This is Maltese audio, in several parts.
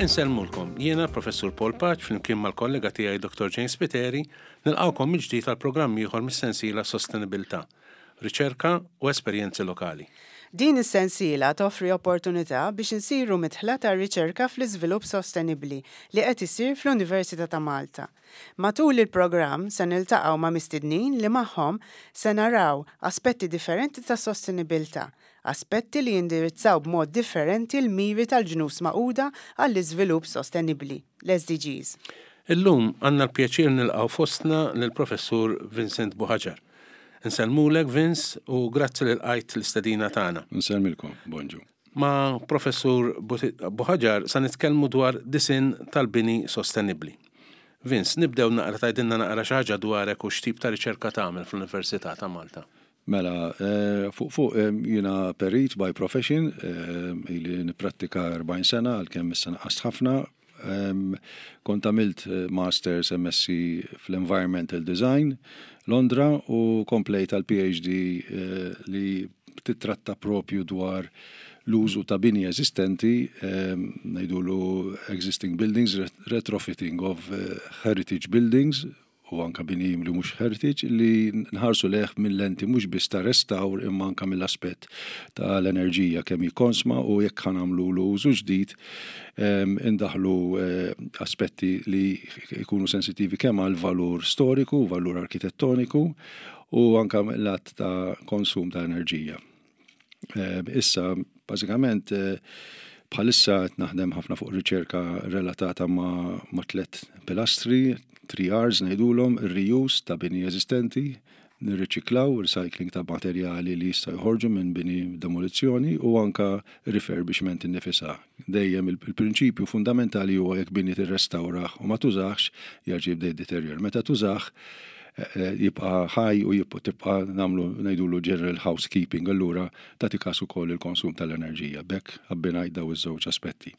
Insellmulkom, jiena Professur Paul Pace flimkien mal-kollega tiegħi Dr. James Spiteri nilqgħukom mill-ġdid għal programm ieħor mis-sensiela Sostenibilità, Riċerka u Esperjenzi Lokali. Din is-sensiela toffri opportunità biex insiru midħla tar-riċerka fl-iżvilupp sostenibbli li qed isir fl-Università ta' Malta. Matul il-programm se niltaqgħu ma' mistednin li magħhom se naraw aspetti differenti tas-sostenibilità, aspetti li jindirizzaw b'mod differenti l-miri tal-Ġnus Magħquda għall-Iżvilupp Sostenibbli, l-SDGs. Illum għandna l-pjaċir nilqgħu fostna lill-Professur Vincent Buhagiar. Insellmulek Vince u grazzi li lqajt l-istedina tagħna. Insellmilkom, bonġu. Ma' Professur Buhagiar sa nitkellmu dwar disinn tal-bini sostenibbli. Vince, nibdew naqra tgħidilna naqra xi ħaġa dwarek u x'tip ta' riċerka tagħmel fl-Università ta' Malta. Mela, fuq fuq jiena perit by profession, ili nipprattika 40 sena għalkemm issa naqqast ħafna. Kont għamilt Masters MSc fl-Environmental Design Londra u komplejt għal PhD li titratta propju dwar l-użu ta' bini eżistenti, ngħidulu existing buildings, retrofitting of heritage buildings u anka bini li mhux heritage li nħarsu lejh minn lenti mhux biss ta' restawr imma anka mill-aspett tal-enerġija kemm jikkonsma u jekk ħa nagħmlulu użu ġdid indaħlu aspetti li jkunu sensittivi kemm għal valur storiku, valur arkitettoniku u anka mill-att ta' konsum ta' enerġija. Issa, bażikament, bħalissa qed naħdem ħafna fuq riċerka relatata ma' tlet pilastri, 3 R's ngħidulhom, ir-reuse ta' bini eżistenti, nirriċiklaw, recycling ta' materjali li jistgħu joħorġu minn bini demolizzjoni u anka refurbishment innifisha. Dejjem il-prinċipju fundamentali huwa jekk bini tirrestawrah u ma tużahx, jerġa' jibda jiddeterjora. Meta tużah, jibqa' ħaj u tibqa' nagħmlu ngħidulu general housekeeping, allura tagħti każ ukoll il-konsum tal-enerġija. B'hekk abbinajt daw iż-żewġ aspetti.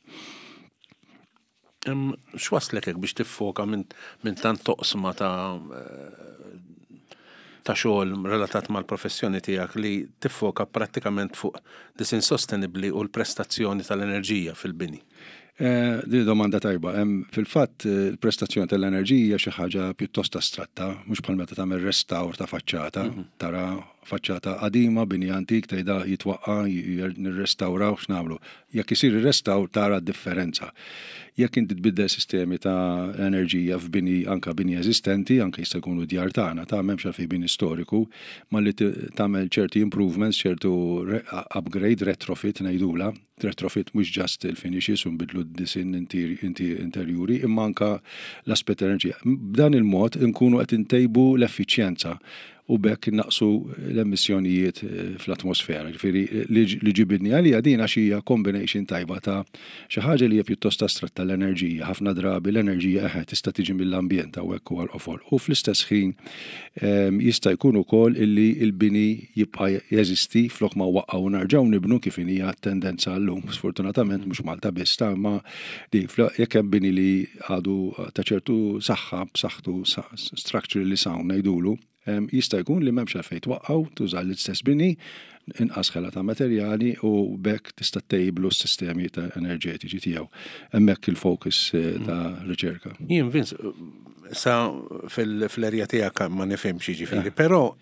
X'waslek hekk biex tiffoka minn tant toqsma ta' ta' xogħol relatat mal-professjoni tiegħek li tiffoka prattikament fuq disinn sostenibbli u l-prestazzjoni tal-enerġija fil-bini? Din domanda tajba. Fil-fatt, il-prestazzjoni tal-enerġija xi ħaġa pjuttost astratta, mhux bħal meta tagħmel restawr ta' faċċata, tara faċċata qadima, bini antik, tgħidha jitwaqqa', nirrestawraw, x'nagħmlu. Jekk isir ir-restawr tara d-differenza. Jekk inti tbiddel sistemi ta' enerġija f'bini anka bini eżistenti, anke jista' jkunu djar tagħna, ta' m'hemmx għalfejn bini storiku, malli tagħmel ċerti improvements, ċertu upgrade, retrofit ngħidulha, Retrofit mhux just il-finishes u nbidlu d-disinn interjuri imma anka l-aspett enerġija. B'dan il-mod inkunu qed intejbu l-effiċjenza u b'hekk innaqsu l-emissjonijiet fl-atmosfera. Ġifieri li ġibidni għaliha din għax hija combination tajba ta' xi ħaġa li hija pjuttost astratta l-enerġija. Ħafna drabi l-enerġija eħe tista' tiġi mill-ambjent hawnhekk huwa l-qofol. U fl-istess ħin Jista' jkun ukoll illi l-bini jibqa' jeżisti flok ma waqa' u nerġgħu nibnu kif inhija t-tendenza llum. Sfortunatament mhux Malta biss ta' imma di jekk hemm bini li għadu ta' ċertu saħħa b'saħħtu structurally sound ngħidulu, jista' jkun li m'hemmx għalfejn twaqqgħu, tuża l-istess bini, inqas ħela ta' materjali u b'hekk tista' ttejjiblu s-sistemi ta' enerġetiċi tiegħu. Hemmhekk il-focus ta' riċerka. Jien Vince, sa fil-erja tiegħek ma nifhimx jiġifieri, però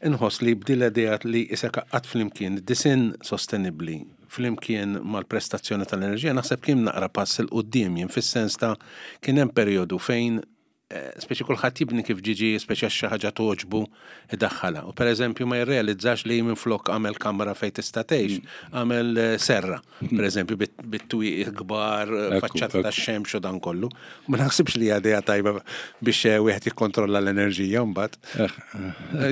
inħoss li b'din l-idea li isek qatt flimkien disinn sostenibbli flimkien mal-prestazzjoni tal-enerġija naħseb kien naqra pass 'il quddiem jien fis-sens ta' kien hemm perjodu fejn speċi kulħadd jibni kif ġiġi, speċi għax xi ħaġa togħġbu idaħħalha. U pereżempju ma jirrealizzax li minflok għamel kamra fejn tista' tgħix, għamel serra, pereżempju bit-twieqi kbar, faċċata tax-xemx u dan kollu. Ma naħsibx li hija idea tajba biex wieħed jikkontrolla l-enerġija mbagħad.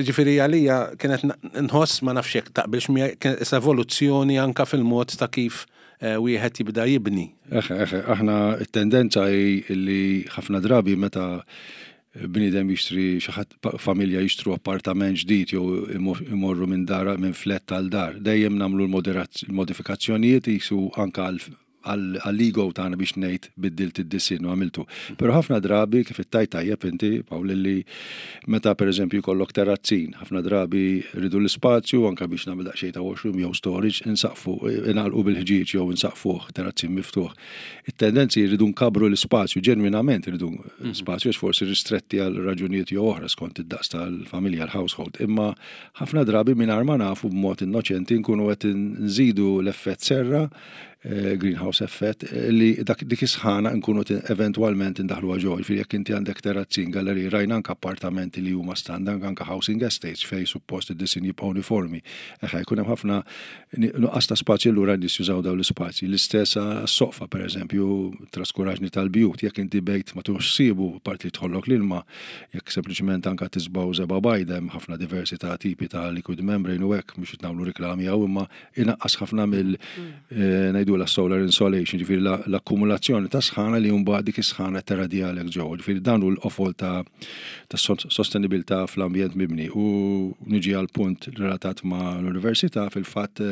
Ġifieri għalija kienet nħoss ma nafx jekk taqbilx miegħi kienet evoluzzjoni anka fil-mod ta' kif wieħed jibda jibni. Eħe, eħe, aħna t-tendenza hi li ħafna drabi meta bniedem jixtri xi ħadd familja jixtru appartament ġdid jew imorru minn dar minn flat għal dar, dejjem nagħmlu l-modifikazzjonijiet qisu anke għal għall-ego tagħna biex ngħid biddilt id-disinn u għamiltu. Però ħafna drabi kif ittajt tajjeb inti Pawl li meta pereżempju jkollok terrazzin, ħafna drabi rridu l-ispazju anke biex nagħmel daqsxejn ta' washroom jew storage insaqfu ingħalqu bil-ħġieġ jew insaqfuh terrazzin miftuħ. It-tendenzi jridu nkabru l-ispazju, ġenwinament jridu spazju għax forsi ristretti għal raġunijiet jew oħra skont id-daqs tal-familja, l-household. Imma ħafna drabi mingħajr ma nafu b'mod innoċenti nkunu qed nżidu l-effett serra, eh, greenhouse effect, eh, li dak dik is-sħana nkunu eventwalment indaħluha ġo. Jiġifieri jekk inti għandek terrazzin, galleriji, rajna anke appartamenti li huma standard, anke housing estates fejn suppost id-disin jibqa' uniformi. Eħe, jkun hemm ħafna Nuqqas ta' spazju allura n-nies jużaw dawn l-ispazji. L-istess għas-soqfa pereżempju, traskuraġni tal-bjut, jekk inti bejt ma tuħx ħsiebu, apparti li jidħollok l-ilma, jekk sempliċement anke tiżbgħu żebgħa bajda, hemm ħafna diversi ta' tipi ta' liquid membrane u hekk, mhux qed nagħmlu riklami hawn, imma inaqqas ħafna mill ngħidulha solar insolation, ġifieri l-akkumulazzjoni ta' sħana li mbagħad dik is-sħana terradjalek ġewwa. Ġifieri dan hu l-qofol ta' tas-sostenibilità fl-ambjent mibni. U niġi għal punt relatat ma' l-università, fil-fatt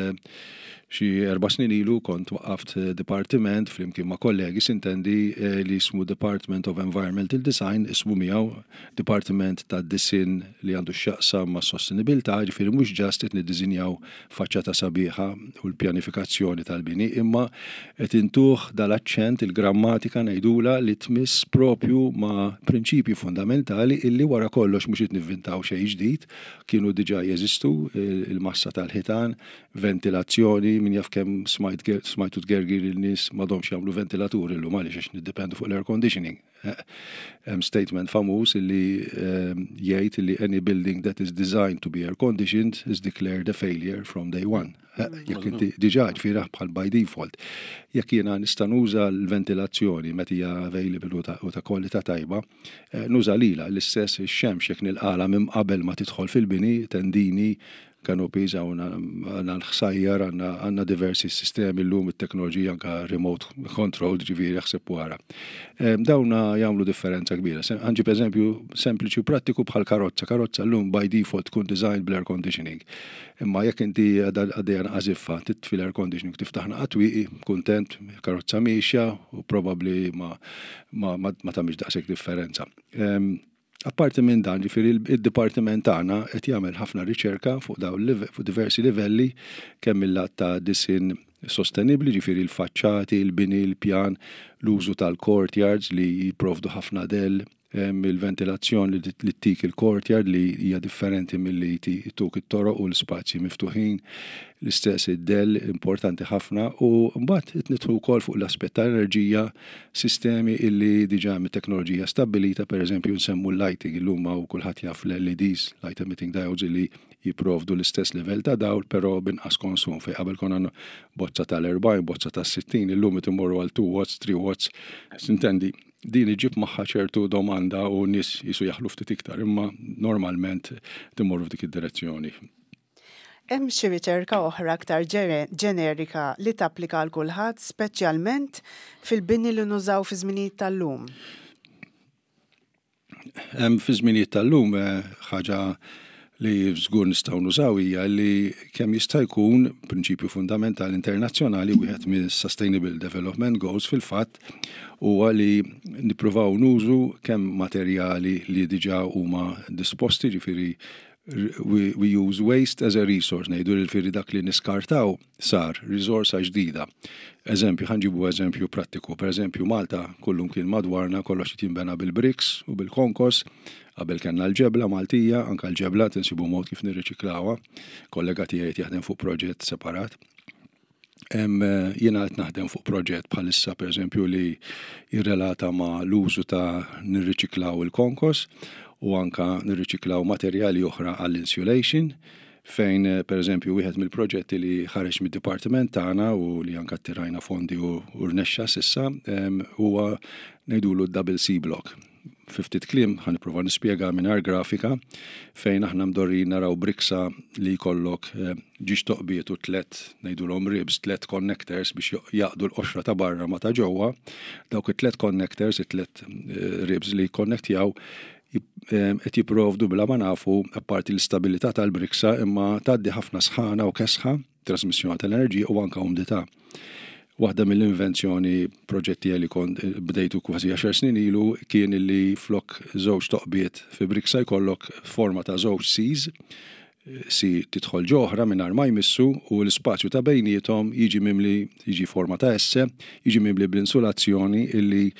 xi erba' snin ilu kont waqqaft dipartiment flimkien ma' kollegi sintendi li jismu Department of Environmental Design, ismu miegħu Dipartiment tad-Disinn li għandu x'jaqsam mas-sostenibilità, jiġifieri mhux just qed niddisinjaw faċċata sabiħa u l-pjanifikazzjoni tal-bini, imma qed intuh dal-aċċent, il-grammatika ngħidulha li tmiss propju ma' prinċipji fundamentali illi wara kollox mhux qed nivvintaw xejn ġdid, kienu diġà jeżistu, il-massa tal-ħitan, ventilazzjoni, min jaf kemm smajt smajtu tgergir lin-nies m'għadhomx jagħmlu ventilaturi llum għaliex għax niddependu fuq l-air conditioning. Hemm statement famuż illi jgħid illi any building that is designed to be air conditioned is declared a failure from day one. Jekk inti diġà ġifieri bħal by default. Jekk jiena nista' nuża l-ventilazzjoni meta hija available u ta' kwalità tajba, nuża lilha l-istess ix-xemx jekk nilqalha minn qabel ma tidħol fil-bini, tendini, canopies, hawn għandna l-ħsajjar, għandna diversi sistemi llum it-teknoloġija anka remote control, ġifieri aħseb wara. Dawna jagħmlu differenza kbira. Ħanġib eżempju sempliċi u prattiku bħal karozza. Karozza llum by default tkun designed bl-air conditioning. Imma jekk inti għaddejja naqa' żiffa, titfi l-air conditioning, tiftaħ naqa' twieqi, kuntent, karozza miexja u probabbli ma ma tagħmilx daqshekk differenza. Apparti minn dan, ġifieri id-dipartiment tagħna qed jagħmel ħafna riċerka fuq dawn fuq diversi livelli kemm mil-lat ta' disinn sostenibbli, ġifieri l-faċċati, il-bini, il-pjan, l-użu tal-courtyards li jipprovdu ħafna dell, il-ventilazzjoni li ttik il-courtyard li hija differenti milli jtuk it-toroq u l-ispazji miftuħin, l-istess id-dell importanti ħafna u mbagħad qed nidħlu wkoll fuq l-aspett ta' enerġija sistemi illi diġà hemm it-teknoloġija stabbilita, pereżempju nsemmu l-lighting, illum hawn kulħadd jaf l-LEDs, light emitting diodes, illi jipprovdu l-istess livell ta' dawl però b'inqas konsum, fejn qabel konna bozza tal-40, bozza tas-60, illum qed immorru għal 2 watts, 3 watts, sintendi din iġib magħha ċertu domanda u nies jisu jaħlu ftit iktar, imma normalment timmorru f'dik id-direzzjoni. Hemm xi riċerka oħra aktar ġenerika li tapplika għal kulħadd, speċjalment fil-bini li nużaw fi żminijiet tal-lum? Hemm fi żminijiet tal-lum eh, ħaġa li żgur nistgħu nużaw hija li kemm jista' jkun prinċipju fundamentali internazzjonali wieħed minn Sustainable Development Goals fil-fatt huwa li nippruvaw nużu kemm materjali li diġà huma disposti, ġifieri we, we use waste as a resource, ngħidu li l-firri dak li niskartaw sar riżorsa ġdida. Eżempju, ħanġibu eżempju prattiku. Per eżempju, Malta kullum kien madwarna kollox qed jinbena bil-bricks u bil-konkos, qabel kellna l-ġebla Maltija, anka l-ġebla tinsibu mod kif nirriċiklawha. Kollega tiegħi jaħdem fuq proġett separat. Jiena qed naħdem fuq proġett bħalissa pereżempju li jirrelata ma' l-użu ta' nirriċiklaw il-konkos u anka nirriċiklaw materjali oħra għall-insulation fejn pereżempju wieħed mill-proġetti li ħareġ mid-dipartiment tagħna u li anka attirajna fondi u rnexxa s'issa huwa ngħidulu d-double C block. Fi ftit kliem, ħa nipprova nispjega mingħajr grafika, fejn aħna mdorrijin naraw briksa li jkollok eh, ġiex toqbiet u tlet ngħidulhom ribs, tlet connectors biex jaqdu l-qoxra ta' barra ma ta' ġewwa. Dawk it-tlet connectors, it-tlet eh, ribs li jkonnektjaw eh, qed jipprovdu bla ma nafu apparti l-istabilità tal-briksa imma tgħaddi ħafna sħana u kesħa trasmissjoni tal-enerġija u anka umdità. Waħda mill-invenzjoni proġett tiegħi li kont bdejtu kważi għaxar snin ilu kien li flok żewġ toqbiet fi briksa jkollok forma ta' żewġ Cs, C tidħol ġo oħra mingħajr ma jmissu u l-ispazju ta' bejniethom jiġi mimli, jiġi forma ta' S, jiġi mimli bl-insulazzjoni illi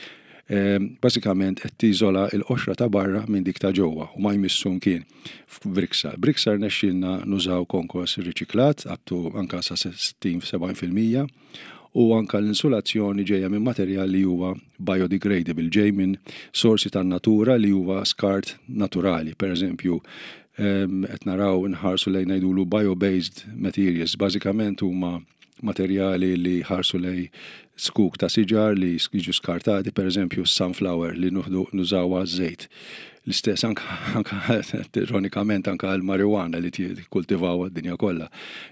bażikament qed tiżola l-qoxra ta' barra minn dik ta' ġewwa u ma jmissu mkien. F'Briksa. Briksa rnexxielna nużaw konkos riċiklat up to anka sa 60-70% u anka l-insulazzjoni ġejja minn materjal li huwa biodegradable, ġej minn sorsi tan-natura li huwa skart naturali. Per eżempju, qed naraw nħarsu lejn ngħidulu bio-based materials, bażikament huma materjali li jħarsu lejn zkuk ta' siġar li jiġu skartati, per eżempju sunflower li nużawha għaż-żejt. L-istess anka, anka ironikament anka l-marijuana li tikkultivawha d-dinja kollha.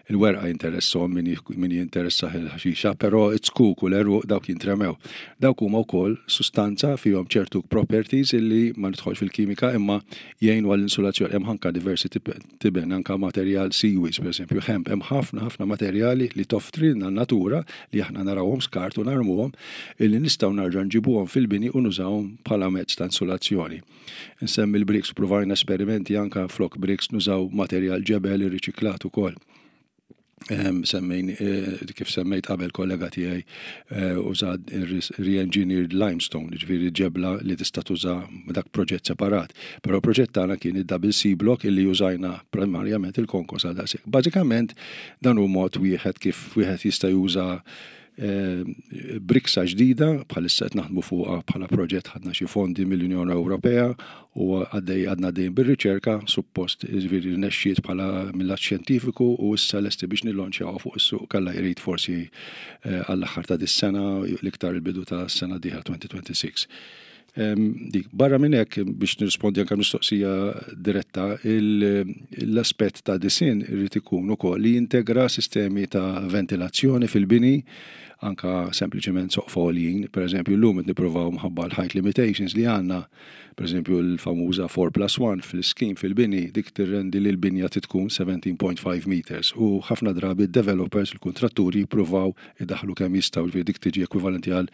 Il-werqa jinteresshom min, min jinteressah il-ħaxixa, però z-zkuk u l-għeruq dawk jintremew. Dawk huma wkoll sustanza fihom ċertu properties illi ma nidħolx fil-kimika imma jgħinu għall-insulazzjoni. Hemm anka diversi tiben, anka materjal seaweeds, per eżempju, hemp, hemm ħafna ħafna materjali li toffrilna n-natura li aħna narawhom skart u narmuhom illi nistgħu narġa' nġibuhom fil-bini u nużawhom bħala mezz ta' insulazzjoni. Insemmi l-bricks, provajna esperimenti anka flok bricks nużaw materjal ġebel irriċiklat ukoll. Semmejn, kif semmejt qabel kollega tiegħi użat re-engineered limestone, ġifieri ġebla li tista' tuża dak proġett separat. Però proġett tagħna kien id-double C block illi użajna primarjament il-konkos għal daqshekk. Bażikament dan hu mod wieħed kif wieħed jista' juża briksa ġdida bħalissa qed naħdmu fuqha bħala proġett ħadna xi fondi mill-Unjoni Ewropea u għaddej għadna għaddejjin bir-riċerka, suppost jiġifieri rnexxiet bħala mill-lat xjentifiku u issa lesti biex nillonċjawha fuq is-suq kalla jrid forsi għall-aħħar ta' dis-sena l-iktar il-bidu ta' sena dieħla 2026. Dik, barra minn hekk biex nirrispondi anke mistoqsija diretta, l-aspett ta' disinn irid ikun ukoll li jintegra sistemi ta' ventilazzjoni fil-bini, anka sempliċement soqfa għoljin. Per eżempju, llum qed nippruvaw mħabba l-height limitations li għandna, per eżempju l-famuża 4 plus 1 fl-iskim fil-bini, dik tirrendi li l-binja tkun 17.5 meters u ħafna drabi d-developers, il-kuntratturi jippruvaw idaħħlu kemm jistgħu, ġifieri dik tiġi ekwivalenti għal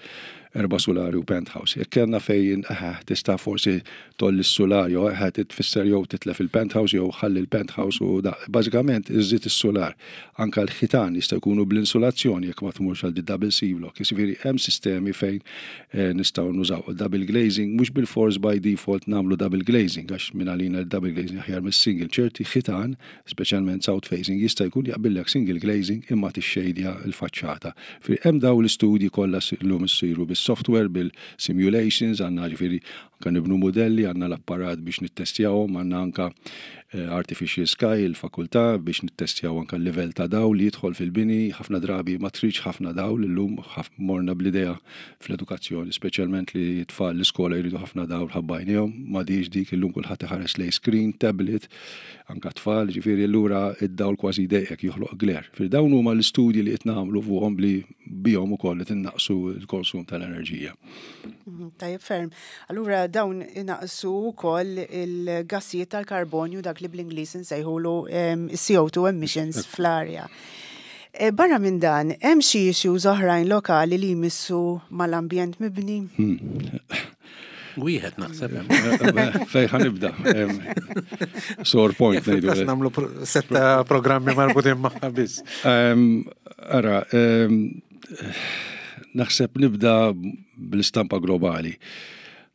erba' sulari u penthouse. Jekk kellna fejn tista' forsi tgħolli s-sular jew tfisser jew titlef il-penthouse jew ħalli l-penthouse u da. Bażikament iżżid is-sular. Anke l-ħitan jista' jkunu bl-insulazzjoni jekk ma tmurx għal double C block. Jiġifieri hemm sistemi fejn nistgħu nużaw. Double glazing mhux bilfors by default nagħmlu double glazing għax minn għalina double glazing aħjar mis-single. Ċerti ħitan, speċjalment south facing, jista' jkun jaqbillek single glazing imma tixxejdja l-faċċata. Hemm daw l-istudji kollha llum issiru bis-software, bil-simulations, għandna ġifieri anke nibnu mudelli, għandna l-apparat biex nittestjawhom, għandna anke artificial sky il-fakultà biex nittestjaw anke l-livell ta' dawl li jidħol fil-bini, ħafna drabi ma tridx ħafna dawl illum morna bl-idea fl-edukazzjoni, speċjalment li tfal l-iskola jridu ħafna dawl ħabba għajnejhom, m'għadhiex dik illum kulħadd iħares lejn screen, tablet, anka tfal, ġifieri allura id-dawl kważi jdejqek joħloq glare. Ġifieri dawn huma l-istudji li qed nagħmlu fuqhom li bihom ukoll qed innaqqsu l-konsum tal-enerġija. Tajjeb ferm. Allura dawn inaqqsu wkoll il-gassijiet tal-karbonju dak li bl-Ingliż insejħulu CO2 emissions fl-arja. Barra minn dan, hemm xi issues oħrajn lokali li jmissu mal-ambjent mibni? Wieħed naħseb. Fej ħanibda. Sore point ngħidu. Nagħmlu setta programmi marbutin magħha biss. Ara, naħseb nibda bl-istampa globali.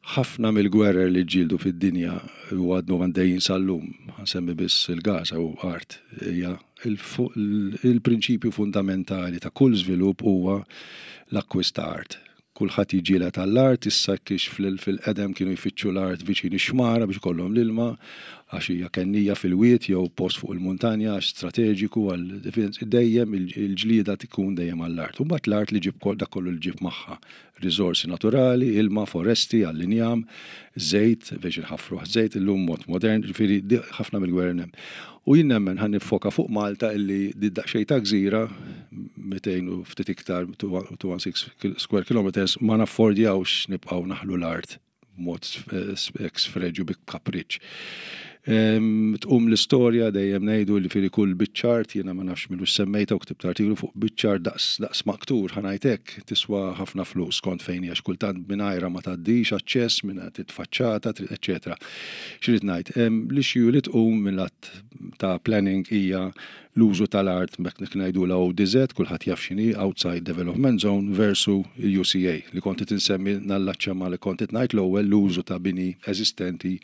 Ħafna mill-gwerer li ġġieldu fid-dinja u għadnu għaddejjin sal-lum, ħansemmi biss il-Gaza u art, hija il-prinċipju fundamentali ta' kull żvilupp huwa l-akkwist ta' art. Kulħadd jiġġieled għall-art, issa kiex fil-qedem kienu jfittxu l-art viċin ix-xmara biex ikollhom l-ilma, għax hija kennija fil-wied jew post fuq il-muntanja għax strateġiku għal dejjem il-ġlieda tkun dejjem għall-art. U mbagħad l-art li ġib dak kollu li ġib magħha, riżorsi naturali, ilma, foresti għall-injam, żejt biex inħaffruh żejt illum mod modern, ġifieri ħafna mill-gwerer hemm. U jien nemmen ħa niffoka fuq Malta illi di daqsxejn ta' gżira 200 u ftit iktar 216 square kilometers ma naffordjawx nibqgħu naħlu l-art b'mod ex freġu bi kapriċċ. Tqum l-istorja dejjem ngħidu li firi kull biċċa art, jiena ma nafx minux semmejta u ktibt artiklu fuq biċċa art daqs daqs maktur ħa ngħid hekk, tiswa ħafna flus skont fejn hija kultant mingħajrha ma tgħaddix aċċess minn titfaċċata, eċċetera. X'irrid ngħid, l-issue li tqum mill-att ta' planning hija l-użu tal-art mek ngħidulha ODZ, kulħadd jaf x'inhi Outside Development Zone versu l-UCA li kont qed insemmi nallaċċa ma li kont qed ngħid l-ewwel l-użu ta' bini eżistenti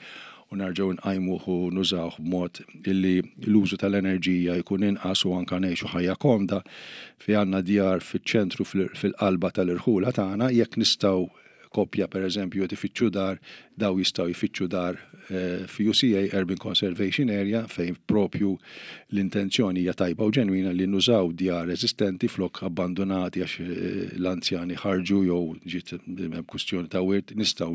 u nerġgħu nqajmuh u nużawh b'mod illi l-użu tal-enerġija jkun inqas u anka ngħixu ħajja komda fi għandna djar fiċ-ċentru fil-qalba tal-irħula tagħna jekk nistgħu koppja per eżempju qed ifittxu dar, daw jistgħu jfittxu dar eh, fi UCA Urban Conservation Area fejn propju l-intenzjoni hija tajba u ġenwina li nużaw djar eżistenti flok abbandonati għax eh, l-anzjani ħarġu jew ġiet hemm kwistjoni ta' wirt nistgħu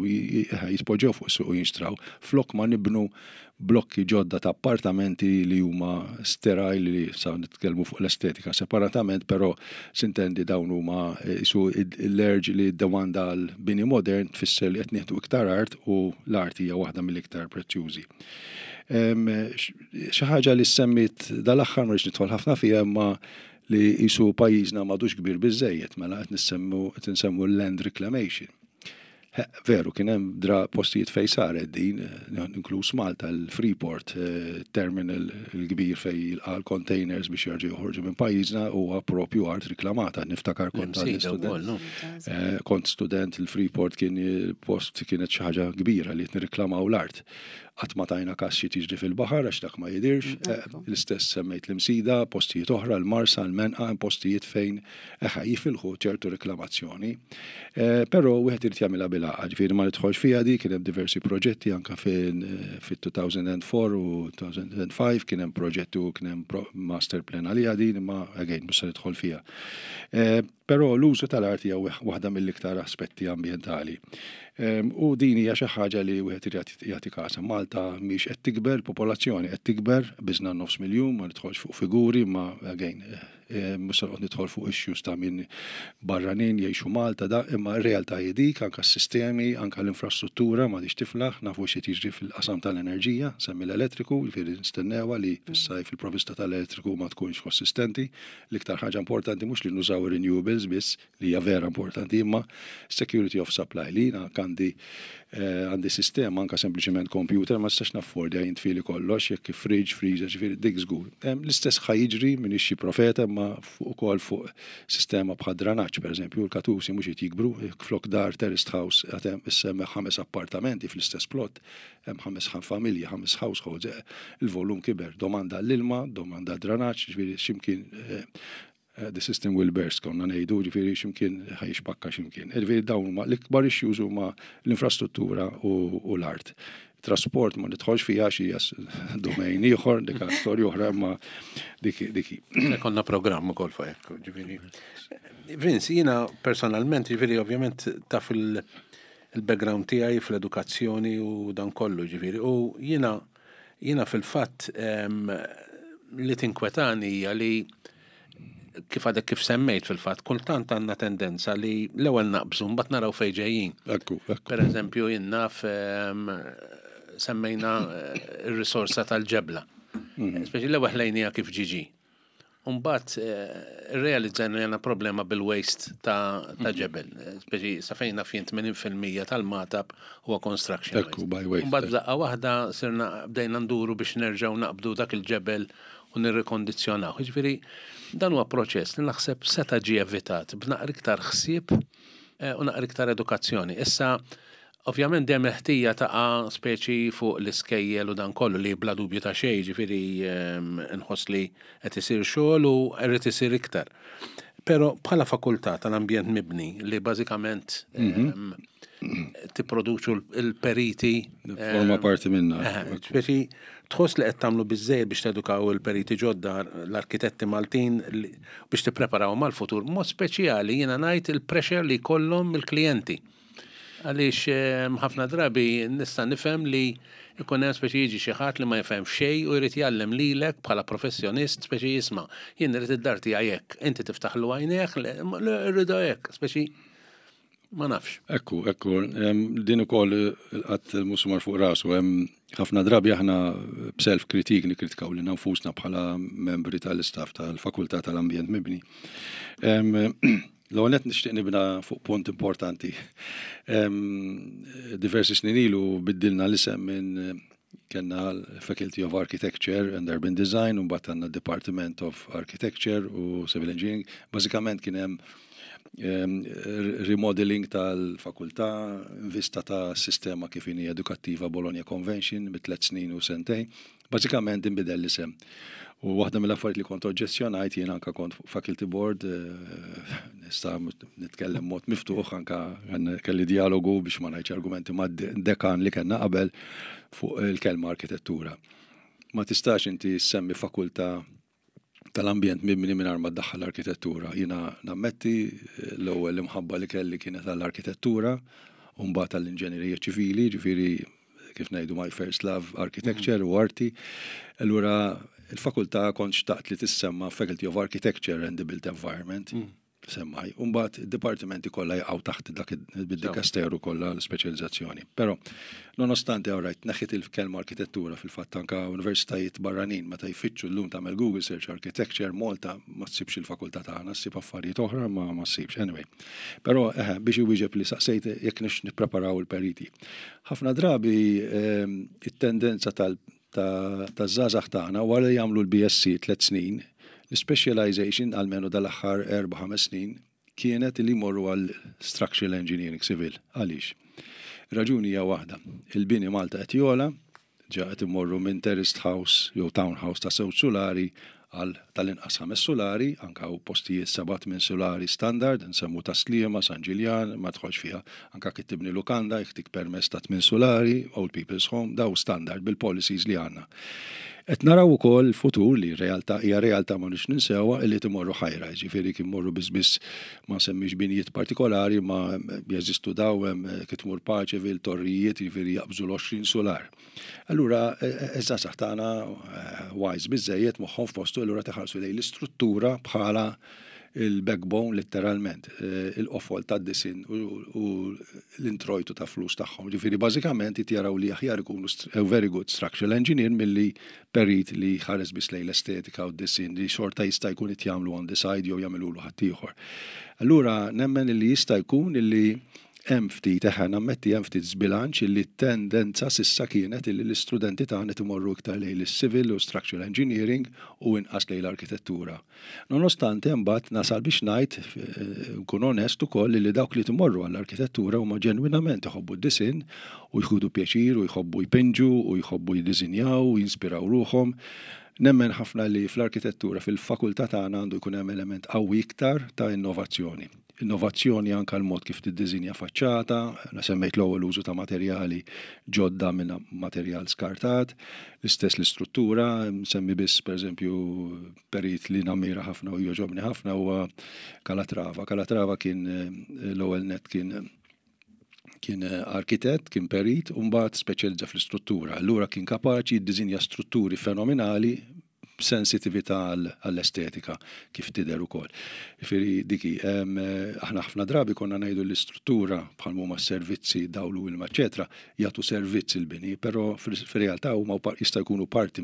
jispoġġew fuq suq u jinxtraw flok ma nibnu blokki ġodda ta' appartamenti li huma sterile li sa nitkellmu fuq l-estetika separatament, però sintendi dawn huma eh, isu l-urge li d-domanda għal bini modern tfisser li qed nieħdu iktar art u l-art hija waħda mill-iktar prezzjużi. Xi ħaġa li semmit dal-aħħar ma nidħol ħafna fiha imma li jisu pajjiżna m'għadux kbir biżejjed mela qed nissemmu qed insemmu land reclamation. Veru, kien hemm dra postijiet fejn saret din, eh, inkluż Malta, l-Freeport eh, terminal il-kbir fej jilqa' l-containers biex jerġgħu joħorġu minn pajjiżna huwa propju art riklamata. Niftakar kont student. Eh, kont student il-Freeport kien post kienet xi ħaġa kbira li qed nirriklamaw l-art. Qatt ma tajna kas xi tiġri fil-baħar għax dak ma jidirx. L-istess semmejt l-Imsida, postijiet oħra, l-Marsa, l-Menqa, postijiet fejn eħe jifilħu ċertu reklamazzjoni. Eh, però wieħed irid jagħmilha bil-għaqal, ġifieri ma nidħolx fiha di, kien hemm diversi proġetti anke fit-2004 u 2005 kien hemm proġetti u kien hemm master plan għaliha din imma again mhux se nidħol fiha. Eh, però l-użu tal-art hija waħda mill-iktar aspetti ambjentali. Ehm, u din hija xi ħaġa li wieħed irid jagħti kasa. Malta mhix qed tikber, popolazzjoni qed tikber, biżna nofs miljun, ma nidħolx fuq figuri, ma again eh, mhux se noqgħod nidħol fuq issues ta' min barranin jgħixu Malta da, imma r-realtà hi dik, anke s-sistemi, anke l-infrastruttura ma tiflaħ, nafu xi jiġri fil-qasam tal-enerġija, semmi l-elettriku, jiġifieri nistennewha li fis-sajf il-provista tal-elettriku ma tkunx konsistenti. L-iktar ħaġa importanti mhux li nużaw renewables biss, li hija vera importanti, imma security of supply li jiena għandi eh, għandi sistema anka sempliċement computer ma nistax naffordja jintfili kollox jekk fridge, freezer, ġifieri dik żgur. L-istess ħa jiġri minn xi profeta imma fuq ukoll fuq sistema bħal dranaġġ pereżempju, l-katusi mhux qed jikbru, flok dar terraced house qed hemm issemmi ħames appartamenti fl-istess plot, hemm ħames familji, ħames households, eh, il-volum kiber, domanda l-ilma, domanda dranaġġ, ġifieri x'imkien eh, eh, the system will burst, konna ngħidu, ġifieri x'imkien ħa jixpakka x'imkien. Ġifieri dawn huma l-ikbar issues huma l-infrastruttura u l-art. Trasport ma nidħolx fiha xi domain ieħor, dik storja oħra imma dik dik. Konna programm ukoll fuq hekk, ġifieri. Vince, jiena personalment, ġifieri ovvjament taf il-background tiegħi fl-edukazzjoni u dan kollu, ġifieri, u jiena jiena fil-fatt li tinkwetani hija li kif għadek kif semmejt fil-fatt, kultant għandna tendenza li l-ewwel naqbżu mbagħad naraw fejn ġejjin. Ekku, ekku. Per eżempju, jien naf semmejna eh, ir-risorsa tal-ġebla. Speċi l-ewwel ħlejnija kif ġiġi. Umbagħad irrealizzajna li għandna problema bil-waste ta' ta' ġebel. Speċi sa fejn naf jien 80% tal-Magħtab huwa construction. Ekku, by waste. Umbagħad f'daqqa waħda sirna bdejna nduru biex nerġgħu naqbdu dak il-ġebel u nirrikondizzjonaw. Jiġifieri dan huwa proċess li naħseb seta' ġie evitat b'naqra iktar ħsieb eh, u naqra iktar edukazzjoni. Issa, ovvjament dejjem il-ħtija taqa' speċi fuq l-iskejjel u dan kollu li bla dubju ta' xejn, ġifieri nħoss li qed isir xogħol u rrid isir iktar. Però bħala fakultà tal-ambjent mibni li bażikament tipproduċu l-periti. Forma parti minna. Speċi tħoss li qed tagħmlu biżejjed biex tedukaw il-periti ġodda, l-arkitetti Maltin biex tippreparaw mal-futur. Mod speċjali jiena ngħid il-pressure li jkollhom il-klijenti. Għaliex ħafna drabi nista' nifhem li jkun hemm speċi jiġi xi ħadd li ma jifhem xejn u jrid jgħallem lilek bħala professjonist speċi jisma' jien irid id-dar tiegħi hekk, inti tiftaħlu għajnejh, le rridha hekk, speċi. Ma nafx. Ekku, ekku, din ukoll il-qatt musmar fuq rasu, hemm ħafna drabi aħna b'self kritik nikkritikaw lilna nfusna bħala membri tal-istaff tal-Fakultà tal-Ambjent Mibni. L-ewwel nett nixtieq nibna fuq punt importanti. Diversi snin ilu biddilna l-isem minn kellna l-Faculty of Architecture and Urban Design u mbagħad għandna Department of Architecture u Civil Engineering. Bażikament kien hemm remodeling tal-fakultà, vista ta' sistema kif inhi edukattiva Bologna Convention bi tliet snin u sentejn. Bażikament inbidel l-isem. U waħda mill-affarijiet li kont oġġezzjonajt jien anka kont fuq faculty board, eh, nista' nitkellem mod miftuħ anka kelli dialogu biex ma ngħidx argumenti ma' dekan li kellna qabel fuq il-kelma arkitettura. Ma tistax inti semmi fakultà tal-ambjent mibni mingħajr ma ddaħħal l-arkitettura. Jiena nammetti eh, l-ewwel imħabba li kelli kienet għall-arkitettura u mbagħad għall-inġenerija ċivili, ġifieri kif ngħidu my first love architecture u arti. Allura il-fakultà kont xtaqt li tissemma Faculty of Architecture and the Built Environment. Semmaj. Umbagħad id-dipartimenti kollha jaqgħu taħt dak id-dikasteru kollha l-ispeċjalizzazzjoni. Però nonostante all right, neħħit il-kelma arkitettura fil-fatt anka universitajiet barranin meta jfittxu llum tagħmel Google search architecture Malta ma ssibx il-fakultà tagħna, ssib affarijiet oħra ma ma ssibx. Anyway. Però eħe biex iwieġeb li saqsejt jekk nix nippreparaw il-periti. Ħafna drabi ehm, it-tendenza tal taż-żgħażagħ tagħna wara li jagħmlu l-BSc tliet snin, l-specialization almenu dal-aħħar erba' ħames snin kienet li jmorru għal structural engineering civil. Għaliex? Raġuni hija waħda. Il-bini Malta qed jogħla, ġa qed immorru minn terraced house jew townhouse ta' żewġ sulari għal tal-inqas ħames sulari, anka hawn postijiet 7-8 sulari standard, nsemmu ta' Sliema, San Ġiljan, ma tħolx fiha. Anka kif tibni lukanda, jekk tik permess ta' 8 sulari, Old People's Home, daw standard bil-policies li għandna. Qed naraw ukoll futur li realtà hija realtà ma nix ninsewha illi timorru high rise, ġifieri kien morru biss biss ma semmix binjiet partikolari ma jeżistu daw hemm kif tmur Paceville, torrijiet, ġifieri jaqbżu l-20 sular. Allura iż-żgħażagħ tagħna wise biżejjed moħħhom f'postu allura teħarsu lejn l-istruttura bħala il-backbone letteralment, il-qofol tad-disinn u l-introjtu ta' flus tagħhom. Ġifieri bażikament jaraw li aħjar ikunu a very good structural engineer milli perit li ħares biss lejn l-estetika u d-disinn li xorta jista' jkun qed jagħmlu on the side jew jagħmilulu ħaddieħor. Allura nemmen li jista' jkun illi hemm ftit, eħe, nammetti hemm ftit żbilanċ illi tendenza s'issa kienet illi l-istudenti tagħna imorru iktar lejn is-civil u structural engineering u inqas lejn l-arkitettura. Nonostante mbagħad nasal biex ngħid, nkun onest ukoll li dawk li timorru għall-arkitettura huma ġenwinament iħobbu d-disinn u jħudu pjaċir u jħobbu jpinġu u jħobbu jiddisinjaw u jinspiraw ruħhom. Nemmen ħafna li fl-arkitettura fil-fakultà tagħna għandu jkun hemm element qawwi iktar ta' innovazzjoni. Innovazzjoni anka l-mod kif tiddisinja faċċata, semmejt l-ewwel użu ta' materjali ġodda minn materjal skartat, l-istess l-istruttura, semmi biss pereżempju perit li nammira ħafna u jogħġobni ħafna huwa Calatrava. Calatrava kien l-ewwel net kien arkitett, kien perit, u mbagħad speċjalizza fl-istruttura. Allura kien kapaċi jiddisinja strutturi fenomenali b'sensitività għall-estetika kif tidher ukoll. Ġifieri diki, aħna ħafna drabi konna ngħidu l-istruttura bħal huma s-servizzi, dawl u ilma, eċetera, jagħtu servizz il-bini, però fir-realtà huma jista' jkunu parti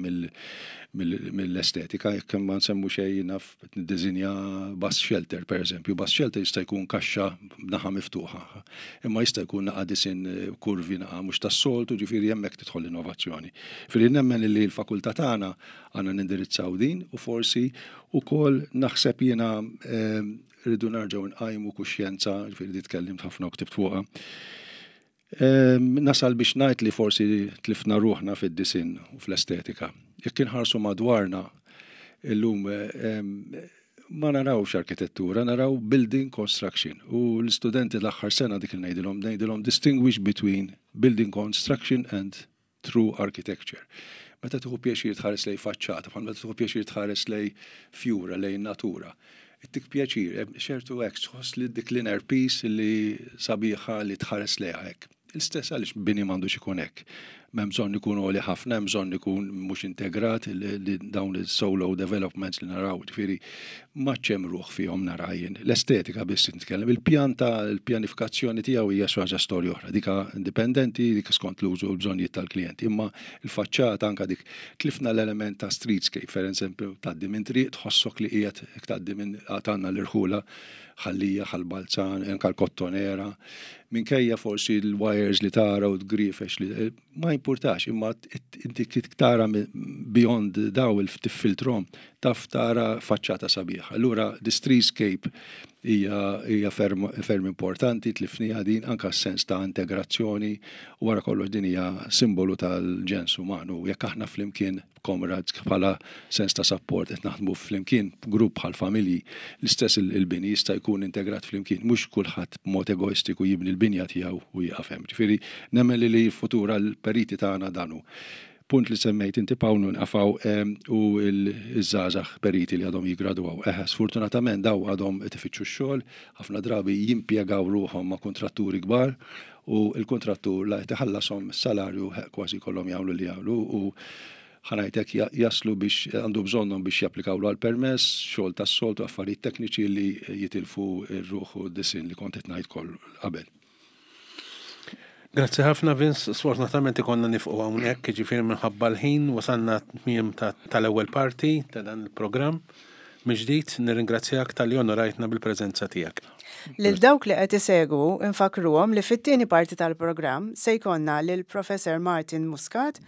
mill-estetika, jekk ma nsemmu xejn naf niddisinja bus shelter, per eżempju, bus shelter jista' jkun kaxxa naħa miftuħa, imma jista' jkun naqa' disinn kurvi naqa' mhux tas-soltu, ġifieri hemmhekk tidħol l-innovazzjoni. Ġifieri nemmen li l-fakultà tagħna għandna nindirizzaw din u forsi wkoll naħseb jiena rridu nerġgħu nqajmu kuxjenza, ġifieri di tkellimt ħafna u ktibt fuqha. Nasal biex ngħid li forsi tlifna ruħna fid-disinn u fl-estetika. Jekk inħarsu madwarna illum ma narawx arkitettura, naraw building construction. U l-istudenti l-aħħar sena dik il ngħidilhom, ngħidilhom distinguish between building construction and true architecture. Meta tieħu pjaċir tħares lej faċċata, bħal meta tieħu pjaċir tħares lej fjura, lej natura. Ittik pjaċir, ċertu hekk tħoss li dik l-inner peace li sabiħa li tħares lejha hekk. L-istess għaliex bini m'għandux ikun hekk. M'hemm bżonn ikun għoli ħafna, hemm bżonn ikun mhux integrat li dawn il-solo developments li naraw, ġifieri m'għadx hemm ruħ fihom nara jien. L-estetika biss nitkellem, il-pjan ta' l-pjanifikazzjoni tiegħu hija xi ħaġa storja oħra, dik indipendenti, dik skont l-użu u l-bżonnijiet tal-klijent. Imma l-faċċata anke dik tlifna l-element ta' streetscape, per eżempju, tgħaddi minn triq tħossok li qiegħed tgħaddi minn għad għandna l-irħula Ħal Lija, Ħal Balzan, anke l-Kottonera, minkejja forsi l-wires li tara u l-griefex li ma jimpurtax, imma inti kif tara beyond daw tiffiltrom, taf tara faċċata sabiħa. Allura the streetscape hija ferm, ferm importanti, tlifniha din anke s-sens ta' integrazzjoni u wara kollox din hija simbolu tal-ġens umanu. Jekk aħna flimkien comrades bħala sens ta' support qed naħdmu flimkien grupp bħal familji, l-istess il-bini jista' jkun integrat flimkien, mhux kulħadd b'mod egoistiku jibni l-binja tiegħu u jieqaf hemm. Ġifieri nemmen li li l-futur għall-periti tagħna dan hu. Punt li semmejt inti Pawl nqafgħu u ż-żgħażagħ periti li għadhom jiggradwaw. Eħe, sfortunatament daw għadhom qed ifittxu x-xogħol, ħafna drabi jimpjegaw ruħhom ma' kuntratturi kbar u l-kuntrattur la qed iħallashom salarju kważi jkollhom jagħmlu li jagħmlu u ħa ngħid hekk jaslu biex għandu bżonnhom biex japplikawlu għal permess, xogħol tas-soltu, affarijiet tekniċi li jitilfu r-ruħ u d-disinn li kont qed ngħid kollu qabel. Grazzi ħafna Vince, sfortunatament ikonna nifqu hawnhekk, jiġifieri minħabba l-ħin wasalna tmiem tal-ewwel parti ta' dan il-programm. Mill-ġdid nirringrazzjak talli onorajtna bil-preżenza tiegħek. Lil dawk li qed isegwu nfakkruhom li fit-tieni parti tal-programm se jkollna lil Professor Martin Muscat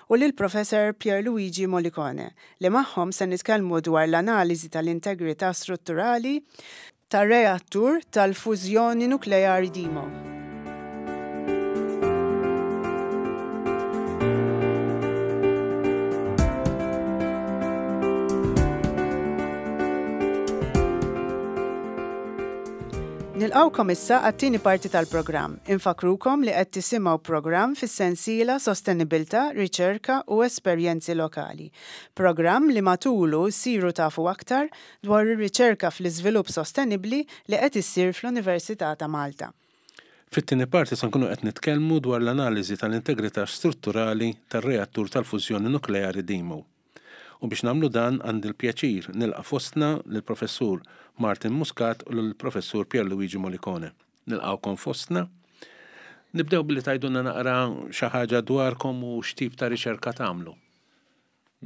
u lil Professor Pierluigi Molicone li magħhom se nitkellmu dwar l-analiżi tal-integrità strutturali tar-reattur tal-fużjoni nukleari Dimo. Nilqgħukom issa għat-tieni parti tal-programm. Infakkrukom li qed tisimgħu programm fis-sensiela Sostenibilità, Riċerka u Esperjenzi Lokali. Programm li matulu ssiru tafu aktar dwar ir-riċerka fl-iżvilupp sostenibbli li qed issir fl-Università ta' Malta. Fit-tieni parti se nkunu qed nitkellmu dwar l-analiżi tal-integrità strutturali tar-reattur tal-fużjoni nukleari DIMO. U biex nagħmlu dan għandi l-pjaċir nilqa' fostna lill-Professur Martin Muscat u lill-Professur Pierluigi Molicone. Nilqgħukom fostna. Nibdew billi tgħidulna naqra xi ħaġa dwarkom u x'tip ta' riċerka tagħmlu.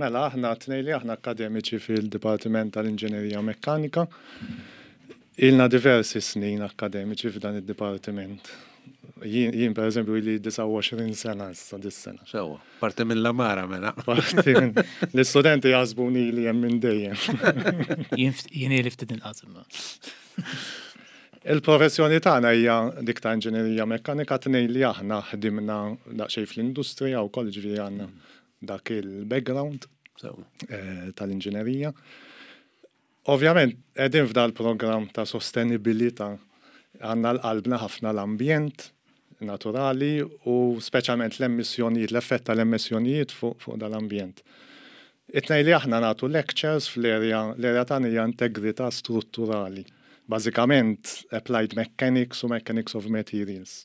Mela, aħna t-tnejn li aħna akkademiċi fil-Dipartiment tal-Inġinerija Mekkanika. Ilna diversi snin akkademiċi f'dan id-dipartiment. Jien, per eżempju, ili 29 sena issa dis-sena. Sewwa, parti mill-amara mela. Parti minn l-istudenti jaħsbuni li hemm minn dejjem. Jien ili ftit inqas imma. Il-professjoni tagħna hija dik ta' inġinerija mekkanika, tnejn li aħna ħdimna daqsxejn fl-industrija wkoll, ġifieri għandna dak il-background eh, tal-inġinerija. Ovvjament, qegħdin f'dal-programm ta' sostenibilità għandna l-qalbna ħafna l-ambjent naturali u speċjalment l-emissjonijiet, l-effett tal-emissjonijiet fuq fu dal-ambjent. It-tnejn li aħna nagħtu lectures fl-area, l-area tagħna hija integrità strutturali. Bażikament applied mechanics u mechanics of materials.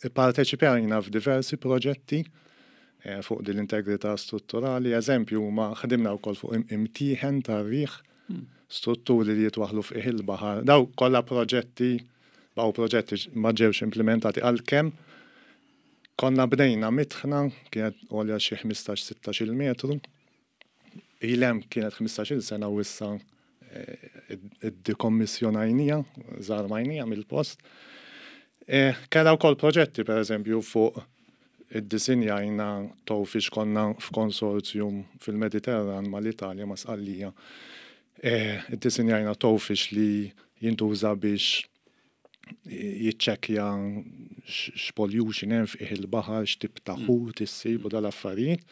Ipparteċipajna f'diversi proġetti fuq din l-integrità strutturali. Eżempju huma ħdimna wkoll fuq imtieħen tar-riħ, strutturi li jitwaħħlu f'qiegħ il-baħar. Daw kollha proġetti, baqgħu proġetti ma ġewx implimentati għalkemm konna bnejna mitħna kienet għolja xi 15-16-il metru. Ilha hemm kienet 15-il sena u issa iddekommissjonajnija, żarmajnija mill-post. E, Kellha wkoll proġetti pereżempju fuq iddisinjajna towfish konna f'konsorzjum fil-Mediterran mal-Italja ma' Sqallija. E, iddisinjajna towfish li jintuża biex jiċċekkja x'pollution hemm f'qiegħ il-baħar, x'tip ta' ħut issib u dal-affarijiet.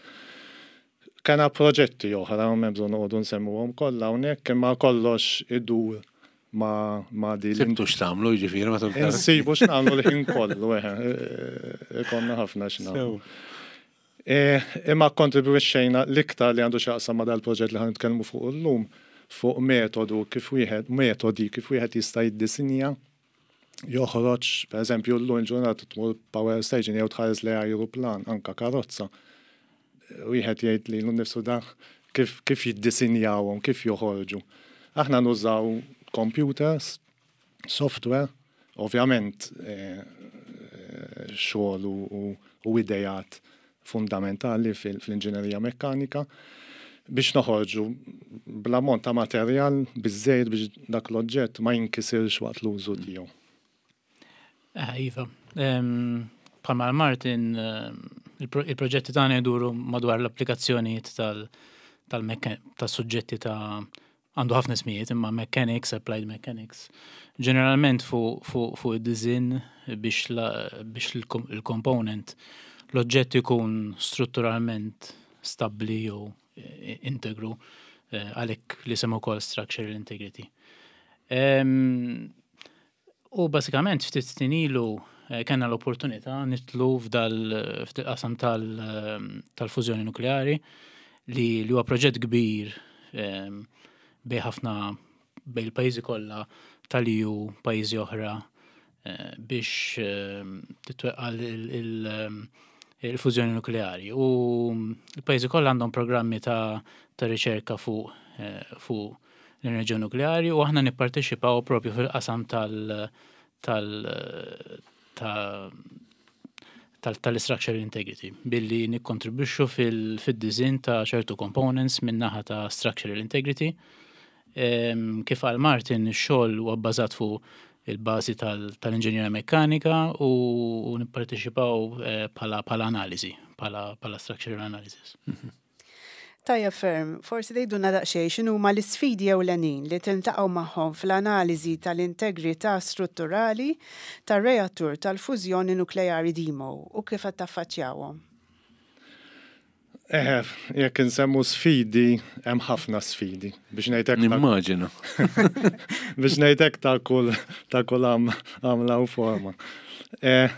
Kellna proġetti oħra, m'hemm bżonn noqogħdu nsemmuhom kollha hawnhekk, imma kollox idur ma' ma' din. Sibtu x'tagħmlu jiġifieri matul. Insibu x'nagħmlu l-ħin kollu, eħe, ikollna ħafna x'nagħmlu. Imma kkontribwixxejna l-iktar li għandu x'jaqsam ma' dal-proġett li ħa nitkellmu fuqu llum, fuq metodu kif wieħed, metodi kif wieħed jista' jiddisinja. Joħroġ, per eżempju, llum il-ġurnata tmur power station jew tħares lejn ajruplan, anka karozza. Wieħed jgħid lilu nnifsu da kif, kif jiddisinjawhom, kif joħorġu. Aħna nużaw computers, software, ovvjament eh, xogħol u, u idejat fundamentali fl-inġinerija mekkanika biex noħorġu bl-ammont ta' materjal biżżejjed biex dak l-oġġett ma jinkisirx waqt l-użu tiegħu. Eh, iva, bħalma Martin, il-proġetti tagħna jduru madwar l-applikazzjonijiet tal-suġġetti ta' Għandu ħafna ismijiet imma mechanics, applied mechanics. Ġeneralment fuq fu, fu id-design biex, biex il-component l-oġġett ikun strutturalment stabbli jew eh, integru eh, għalhekk li semmu ukoll structural integrity. U basikament ftit snin ilu eh, kellna l-opportunità nitlu f'dal-qasam tal-fużjoni nukleari li li huwa proġett kbir ehm, bej ħafna bej il-pajjiżi kollha tal-EU, pajjiżi oħra eh, biex ehm, titweqqa il-fużjoni nukleari. U l-pajjiżi kollha għandhom programmi ta' riċerka fuq eh, fuq l-enerġija nukleari u aħna nipparteċipaw propju fil-qasam tal tal tal-structural integrity billi nikkontribwixxu fil-design ta' ċertu components min-naħa ta' structural integrity. Kif qal Martin, ix-xogħol huwa bbażat fuq il-bażi tal-inġinjerija mekkanika u nipparteċipaw eh, bħala analiżi, bħala structural analysis. Mhm. Tajjeb ferm, forsi tgħidulna daqsxejn x'inhuma l-isfidi ewlenin li tiltaqgħu magħhom fl-analiżi tal-integrità strutturali tar-reattur tal-fużjoni nukleari DIMO u kif qed taffaċċjawhom? Eħe, jekk insemmu sfidi, hemm ħafna sfidi. Biex ngħid hekk. Nimmaġina. Biex ngħid hekk ta' kull ta' kull għamla u forma. Eh,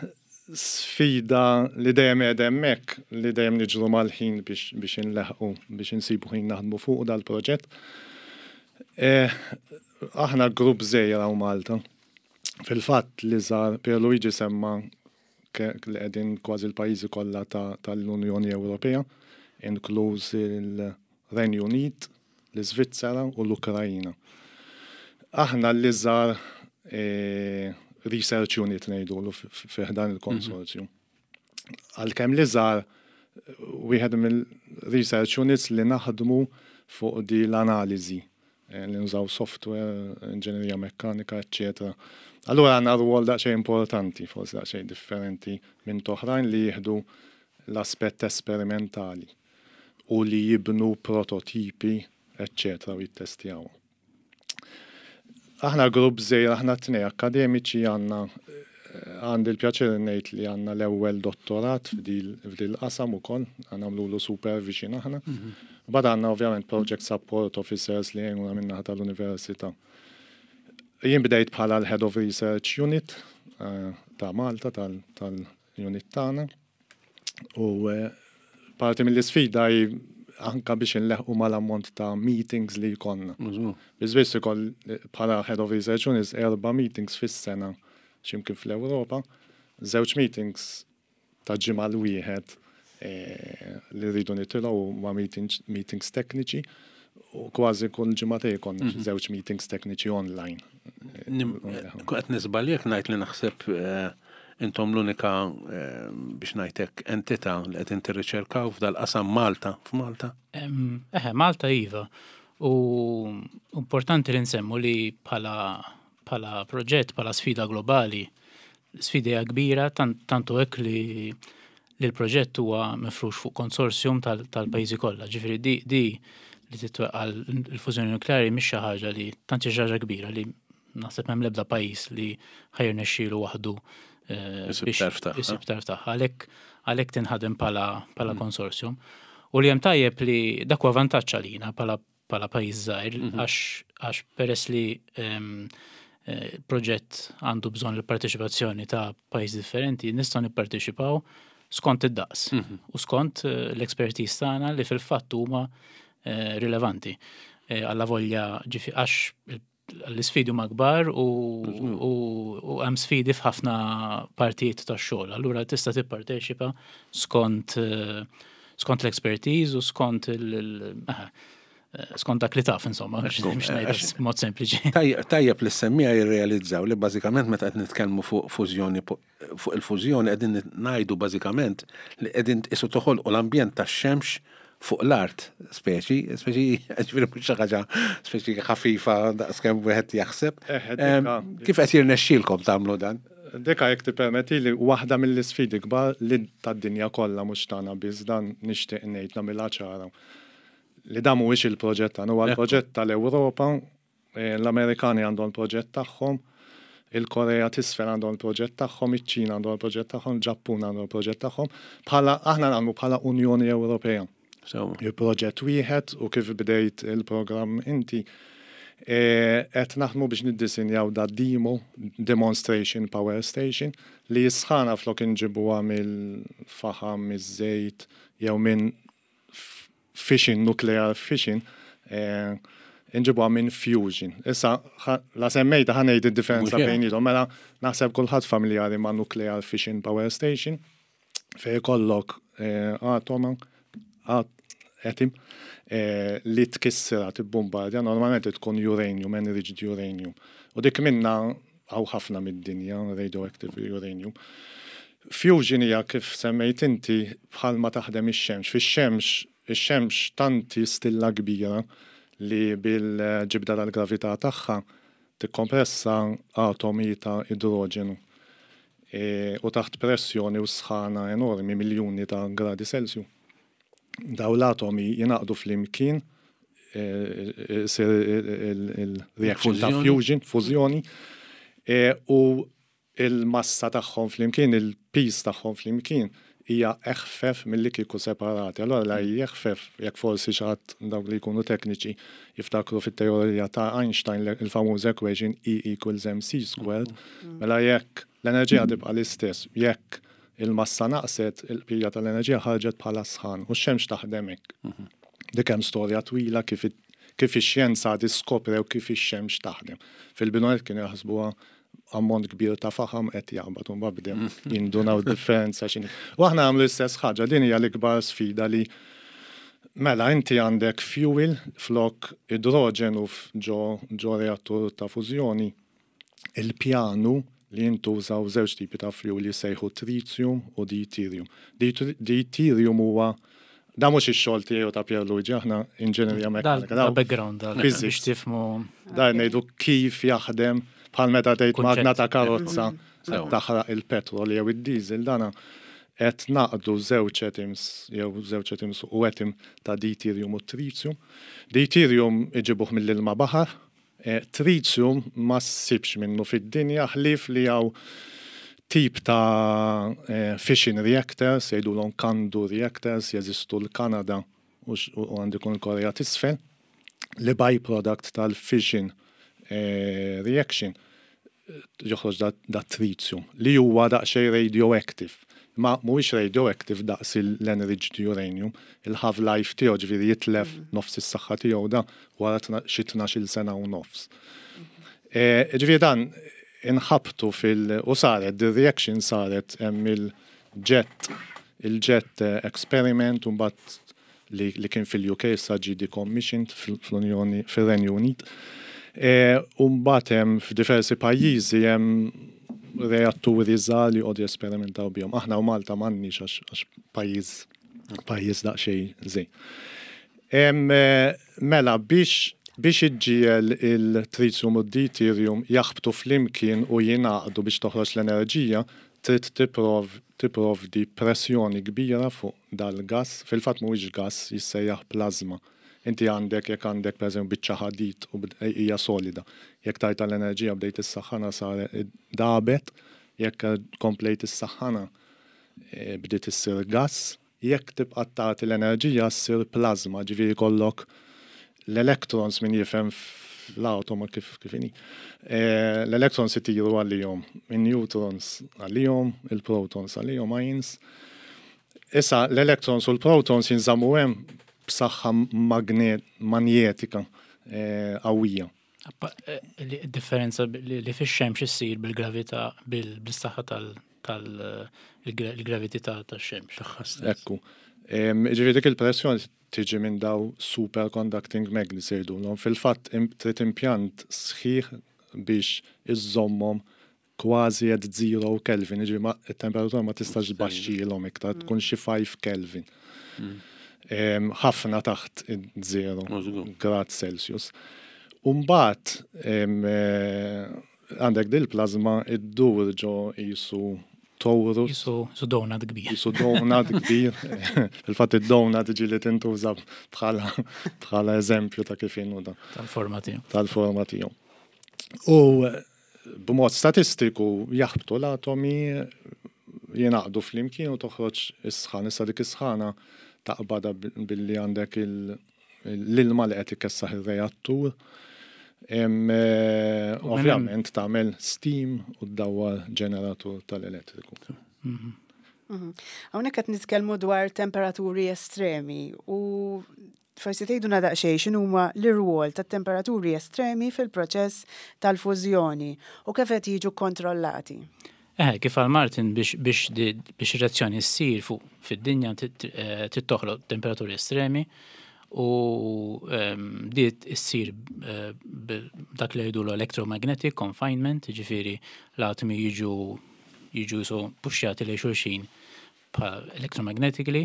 Sfida li dejjem qiegħda hemmhekk, li dejjem niġru mal-ħin biex biex inleħqu, biex insibu ħin naħdmu fuqu dal-proġett. Aħna grupp żgħir hawn Malta. Fil-fatt li żar Pierluigi semma li qegħdin kważi l-pajjiżi kollha tal-Unjoni Ewropea, inkluż il-Renju Unit, l-Iżvizzera u l-Ukraina. Aħna l-iżgħar research unit ngħidulu fi ħdan il-konsorzju. Għalkemm l-iżgħar wieħed mill-research units li naħdmu fuq di l-analiżi eh, li nużaw software, inġinerija mekkanika, eccetera. Allura għandna rwol daqsxejn importanti, forsi daqsxejn differenti minn toħrajn li jieħdu l-aspett esperimentali. u li jibnu prototipi, eċċetera u jittestjawhom. Aħna grupp żgħir, aħna tnej akkademiċi għandna għandi l-pjaċir ngħid li għandna l-ewwel dottorat f'dil qasam ukoll, nagħmlulu supervision aħna. Mhm. Bad għandna ovvjament project support officers li jgħinuna min-naħa tal-università. Jien bdejt bħala l-Head of Research Unit eh, ta' Malta tal-unit tagħna. U eh, parti mill-isfida hi anka biex inleħqu mal-ammont ta' meetings li jkollna. Biss biss ikoll eh, bħala Head of Research Units erba' meetings fis-sena x'imkien fl-Ewropa, żewġ meetings ta' ġimgħa l-wieħed eh, li rridu nitilgħu ma' meetings tekniċi u kważi kull ġimgħatej konna mhm. żewġ meetings tekniċi online. Qed nisbal jekk ngħid li naħseb eh, Intom l-unika, biex ngħid hekk, entità li qegħdin tirriċerkaw f'dal-qasam Malta, f'Malta? Eħe, Malta iva. U importanti li nsemmu li bħala bħala proġett, bħala sfida globali, sfida hija kbira tantu hekk li li l-proġett huwa mifrux fuq konsorzjum tal-pajjiżi kollha. Ġifieri di, di li titweqqa l-fużjoni nukleari mhix xi ħaġa li tant xi ħaġa kbira li Naħseb m'hemm l-ebda pajjiż li ħa jirnexxielu waħdu eh, biex isib tarf tagħha. Għalhekk għalhekk tinħadem bħala bħala mm. konsorzjum. U li hemm tajjeb li dak huwa vantaġġ għalina bħala bħala pajjiż żgħir mhm. għax għax peress li ehm, eh, proġett għandu bżonn il-parteċipazzjoni ta' pajjiż differenti, nistgħu nipparteċipaw skont id-daqs mhm. u skont eh, l-expertise tagħna li fil-fatt huma rilevanti. Alla volja ġifi għax l-isfidi huma kbar u hemm sfidi f'ħafna partijiet tax-xogħol. Allura tista' tipparteċipa skont skont l-expertise u skont il skont dak li taf insomma, biex ngħid mod sempliċi. Tajjeb li s-semmiegħa jirrealizzaw li bażikament meta qed nitkellmu fuq fużjoni fuq il-fużjoni qegħdin ngħidu bażikament li qegħdin tqisu toħolqu l-ambjent tax-xemx fuq l-art, speċi, speċi, ġifieri mhux xi ħaġa speċi ħafifa daqskemm wieħed jaħseb. Kif qed jirnexxielkom tagħmlu dan? Dika jekk tippermettili waħda mill-isfidi kbar li tad-dinja kollha mhux tagħna biss dan nixtieq ngħid nagħmilha ċara. Li dan mhuwiex il-proġett tagħna, huwa l-proġett tal-Ewropa, l-Amerikani għandhom il-proġett tagħhom, il-Korea t'Isfel għandhom il-proġett tagħhom, iċ-Ċina għandhom il-proġett tagħhom, il-Ġappun għandhom il-proġett tagħhom, bħala aħna nagħmlu bħala Unjoni Ewropea. Il-proġett wieħed u kif bdejt il-programm inti, qed naħdmu biex niddisinjaw da demo, demonstration power station, li s-sħana flok inġibuha mill-faħam, miż-żejt jew minn fission, nuclear fission, inġibuha minn fusion. Issa, la semmejta ħa ngħid id-differenza bejniethom, mela naħseb kulħadd familjari ma' nuclear fission power station, fejn ikollok atoma, atom, li tkissirha, tibbombardja, normalment tkun uranium, enriched uranium. U dik minna hawn ħafna mid-dinja, radioactive uranium. Fusion hija kif semmejt inti bħalma taħdem ix-xemx. Fix-xemx, ix-xemx tanti stilla kbira li bil-ġibda tal-gravità tagħha tikkompressa atomi ta' idroġenu u taħt pressjoni u sħana enormi, miljuni ta' gradi Celsius. Daw l-atomi jingħaqdu flimkien, isir il-reaction ta' fusion, fużjoni, u il-massa tagħhom flimkien, il-piż tagħhom flimkien hija eħfef milli kieku separati. Allora la jeħfef, jekk forsi xi ħadd dawk li jkunu tekniċi jiftakru fit-teorija ta' Einstein il-famuż equation E equals mc squared, mela jekk l-enerġija tibqa' l-istess, jekk il-massa naqset, il-bqija tal-enerġija ħarġet bħala sħan u x-xemx taħdem hekk. Dik hemm storja twila kif kif ix-xjenza diskoprew kif ix-xemx taħdem. Fil-bidu kienu jaħsbuha ammont kbir ta' faħam qed jaqbad u mbagħad bdew jindunaw differenza x'inhi. U aħna nagħmlu l-istess ħaġa, din hija l-ikbar sfida li mela inti għandek fuel flok idroġenu ġo ġo reattur ta' fużjoni. Il-pjanu li jintużaw żewġ tipi ta' fuel li jsejħu tritium u deuterium. Deuterium huwa da mhux ix-xogħol tiegħi u ta' Pierluigi, aħna inġinerija mekkanika. Da background da biex tifhmu. Da ngħidu kif jaħdem bħal meta tgħid magna ta' karozza taħraq il-petrol jew id-diesel dana qed naqdu żewġ atoms jew żewġ atoms u atom ta' deuterium u tritium. Deuterium iġibuh mill-ilma baħar, tritium ma ssibx minnu fid-dinja ħlief li hawn tip ta' fission reactors, jgħidulhom CANDU reactors, jeżistu l-Kanada u għandu jkun il-Korea t'Isfel, li byproduct tal-fission reaction joħroġ da tritium li huwa daqsxejn radioactive. Ma mhuwiex radioactive daqs l-enriched uranium, il-half life tiegħu ġifieri jitlef nofs is-saħħa tiegħu da wara xi 12-il sena u nofs. Ġifieri dan inħabtu fil- u saret, the reaction saret hemm il-jet il-jet experiment u mbagħad li kien fil-UK issa ġie decommissioned fl-Unjoni fir-Renju Unit. U mbagħad hemm f'diversi pajjiżi hemm reatturi żgħar li joqogħdu jesperimentaw bihom. Aħna u Malta m'għandniex għax pajjiż pajjiż daqsxejn żgħir. Mela biex iġġiegħel il-tritium u d-deuterium jaħbtu flimkien u jingħaqdu biex toħroġ l-enerġija, trid tipprovdi pressjoni kbira fuq dal-gas, fil-fatt mhuwiex gas, jissejjaħ plasma. Inti għandek jekk għandek pereżempju biċċa ħadid u hija solida. Jekk tajta l-enerġija bdejt issaħħana sar dabet, jekk komplejt issaħħana bdiet issir gas, jekk tibqa' tagħti l-enerġija ssir plasma, ġifieri jkollok l-electrons min jifhem fl-atoma kif kif inhi. L-electrons itiru għalihom, in-neutrons għalihom, il-protons għalihom, ions. Issa l-electrons u l-protons jinżammu hemm b'saħħa manjetika qawwija. Differenza li fix-xemx issir bil-gravità, bil-saħħa tal-gravità tax-xemx. Ekku. Ġifieri dik il-pressjoni tiġi minn daw superconducting magnets jgħidulhom. Fil-fatt trid impjant sħiħ biex iżżommhom kważi at zero Kelvin, jiġifieri ma it-temperatura ma tistax tbaxxilhom iktar, tkun xi 5 Kelvin. Ħafna taħt zero grad Celsius. Umbagħad għandek dil-plasma iddur ġo qisu torus. Qisu donut kbir. Qisu donut kbir. Fil-fatt id-donut ġieli tintuża bħala eżempju ta' kif inhu da. Tal-forma tiegħu. Tal-forma tiegħu. U b'mod statistiku jaħbtu l-atomi, jingħaqdu flimkien u toħroġ is-sħana. Issa dik is-sħana taqbadha billi għandek l-ilma li qed ikessaħ ir-reattur. Ovvjament tagħmel steam u ddawwar ġeneratur tal-elettriku. Hawnhekk qed nitkellmu dwar temperaturi estremi u forsi tgħidulna daqsxejn x'inhuma l-irwol tat-temperaturi estremi fil-proċess tal-fużjoni u kif qed jiġu kontrollati. Kif qal Martin, biex reazzjoni ssir fuq fid-dinja trid toħloq temperaturi estremi u dit issir dak li jgħidu electromagnetic confinement, ġifieri l-atomi jiġu so puxjati lejn xulxin electromagnetically.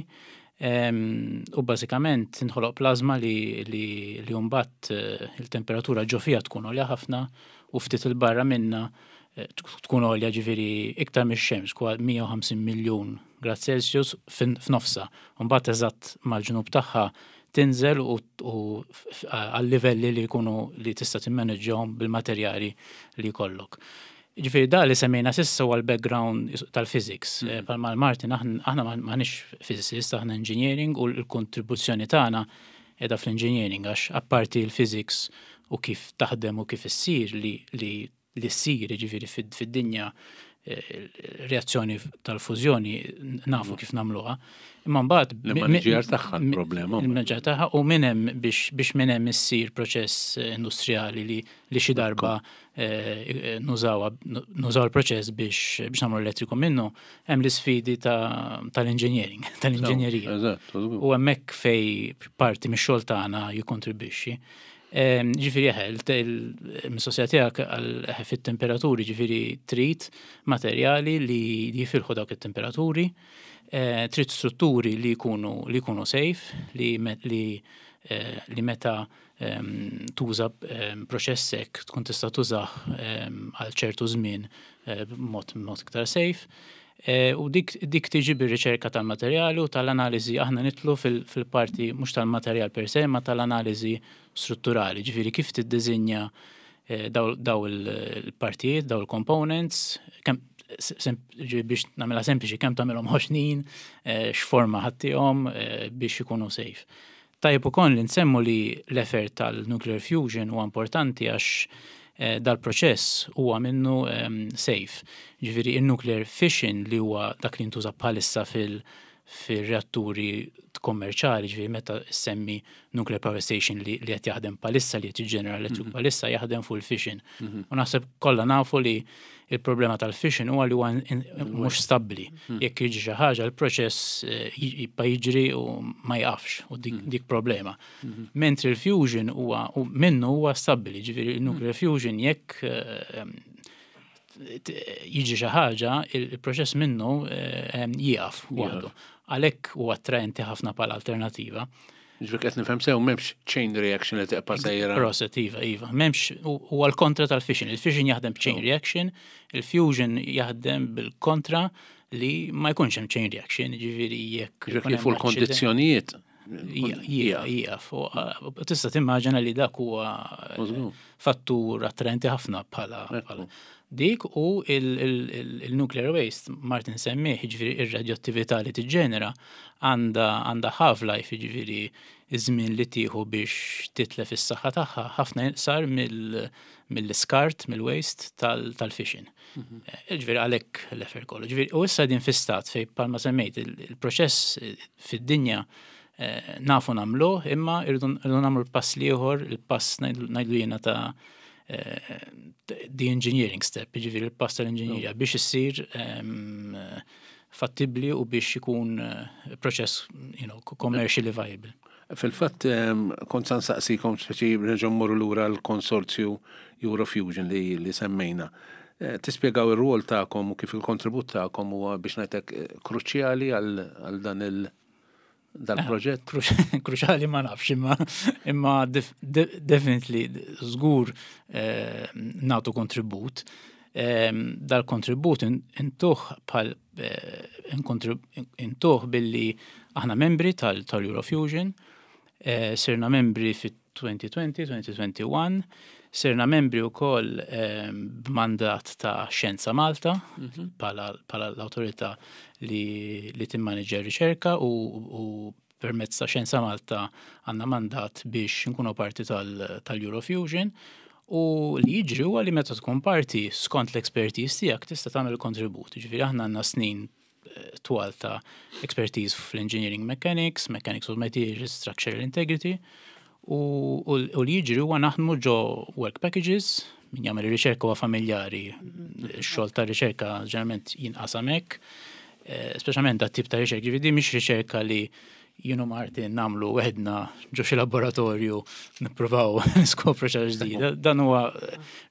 U bażikament tinħoloq plasma li mbagħad il-temperatura ġo fiha tkun għolja ħafna u ftit il-barra minna tkun għolja, ġifieri iktar mix-xemx, kwa 150 miljun grad Celsius f'nofsa. Mbagħad eżatt mal-ġnub tagħha tinżel u għal livelli li jkunu li tista' timmaneġġjahom bil-materjali li jkollok. Ġifieri da li semmejna s'issa huwa l-background tal-physics. Palma Martin, aħna m'aħniex physicist, aħna engineering u l-kontribuzzjoni tagħna qiegħda fl-engineering, għax apparti l-physics u kif taħdem u kif issir li ssir, ġifieri fid-dinja reazzjoni tal-fużjoni nafu kif nagħmluha. Imma mbagħad Il-manager tagħha l-problema. Il-manager tagħha u minn hemm biex minn hemm issir proċess industrijali li xi darba nużaw il-proċess biex nagħmlu elettriku minnu, hemm l-isfidi tal-engineering, tal-inġenjerija. U hemmhekk fej parti mix-xogħol tagħna jikkontribwixxi. Ġifieri il-mistoqsija tiegħek fit-temperaturi, ġifieri trid materjali li jifilħu dawk it-temperaturi, trid strutturi li jkunu safe, li meta tuża proċess hekk tkun tista' tużah għal ċertu żmien b'mod iktar safe. U dik tiġi bir-riċerka tal-materjali u tal-analiżi. Aħna nidħlu fil-parti mhux tal-materjal per se, ma tal-analiżi strutturali, ġifieri kif tiddiżinja daw il-partijiet, daw il-components, biex nagħmilha sempliċi, kemm tagħmilhom ħoxnin, x'forma ħa ttihom biex ikunu safe. Tajjeb ukoll li nsemmu li l-effort tal-nuclear fusion huwa importanti għax dal-proċess huwa minnu safe. Ġifieri il-nuclear fission, li huwa dak li ntuża bħalissa fil-reatturi kommerċali, ġifieri meta semmi nuclear power station li qed jaħdem bħalissa, li qed jiġġenera elettriku bħalissa, jaħdem fuq il-fission. U naħseb kollha nafu li il-problema tal-fission huwa li huwa mhux stabbli. Jekk jiġi xi ħaġa, il-proċess jibqa' jiġri u ma jaqafx u dik problema. Mentri il-fusion huwa minnu huwa stabbli, ġifieri il-nuclear fusion jekk jiġi xi ħaġa, il-proċess minnu jieqaf waħdu. Għalhekk huwa attraenti ħafna bħala alternativa. Ġifieri qed nifhem sew, m'hemmx chain reaction li tibqa' sejra. Proset, iva. M'hemmx, huwa l-kontra tal-fission. Il-fission jaħdem chain reaction, il-fusion jaħdem bil-kontra li ma jkunx hemm chain reaction, ġifieri jekk Ġifieri kif l-kondizzjonijiet. Jieqaf. Tista' timmaġina li dak huwa fattur attraenti ħafna bħala dik u il-nuclear waste, Martin semmih, ġifieri ir-radioattività li tiġġenera għandha half-life, ġifieri iż-żmien li tieħu biex titlef is-saħħa tagħha ħafna iqsar mill-iskart, mill-waste tal-fission. Ġifieri għalhekk l-effort kollu. Ġifieri u issa din fi stat fej palma semmejt il-proċess fid-dinja nafu nagħmluh, imma irridu nagħmlu l-pass l-ieħor, il-pass ngħidlu jiena ta' the engineering step, jiġifieri l-pass tal-inġinjerija biex issir fattibli u biex ikun proċess commercially viable. Fil-fatt, kont sa nsaqsikom speċi nerġgħu mmorru lura l-konsorzju Eurofusion li, li semmejna. Tispjegaw ir-rwol tagħkom u kif il-kontribut tagħkom huwa biex ngħidlek kruċjali għal dan il- dal-proġett? Kruċjali ma nafx, imma definitely żgur nagħtu kontribut. Dal-kontribut intuh bħal intuh billi aħna membri tal-Eurofusion, sirna membri fit-2020, 2021, sirna membri wkoll b'mandat ta' Xjenza Malta bħala l-awtorità li timmaniġġja r-riċerka u permezz ta' Xjenza Malta għandna mandat biex nkunu parti tal-Eurofusion. U li jiġri huwa li meta tkun parti skont l-expertise tiegħek tista' tagħmel kontribut. Ġifieri aħna għandna snin twal ta' expertise fl-engineering mechanics, mechanics of materials, structural integrity, u li jiġri huwa naħdmu ġo work packages, min jagħmel ir-riċerka huwa familjari, x-xogħol ta' riċerka ġeneralment jinqasam hekk, speċjalment dat tip ta' riċerka, ġifieri mhix riċerka li jien u Martin nagħmlu weħidna ġo xi laboratorju nippruvaw niskopru xi ġdida. Dan huwa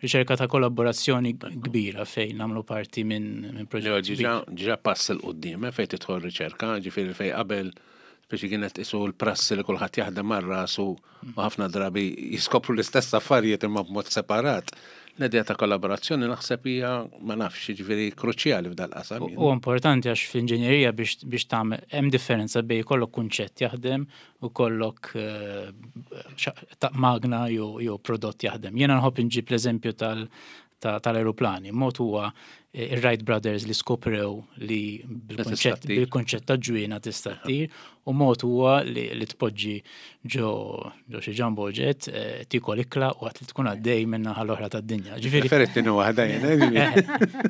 riċerka ta' kollaborazzjoni kbira fejn nagħmlu parti minn proġett. Ġa pass 'il quddiem fejn tidħol riċerka, ġifieri fejn qabel speċi kienet isu l-prassi li kulħadd jaħdem mar rasu u ħafna drabi jiskopru l-istess affarijiet imma b'mod separat. L-idea ta' kollaborazzjoni naħseb hija, ma nafx, ġifieri kruċjali f'dal-qasam. U importanti għax fl-inġenjerija biex tagħmel hemm differenza bejn kollok kunċett jaħdem u kollok magna jew prodott jaħdem. Jiena nħobb inġib l-eżempju tal-aeroplani. Mod huwa ir-Wright Brothers li skoprew li bil-kunċett ta' ġwienaħ tista' ttir, u mod huwa li tpoġġi ġo xi jumbo jet, tikol ikla u għat li tkun għaddej minna l-oħra tad-dinja. Ġifieri Preferit waħda jien, ġifieri.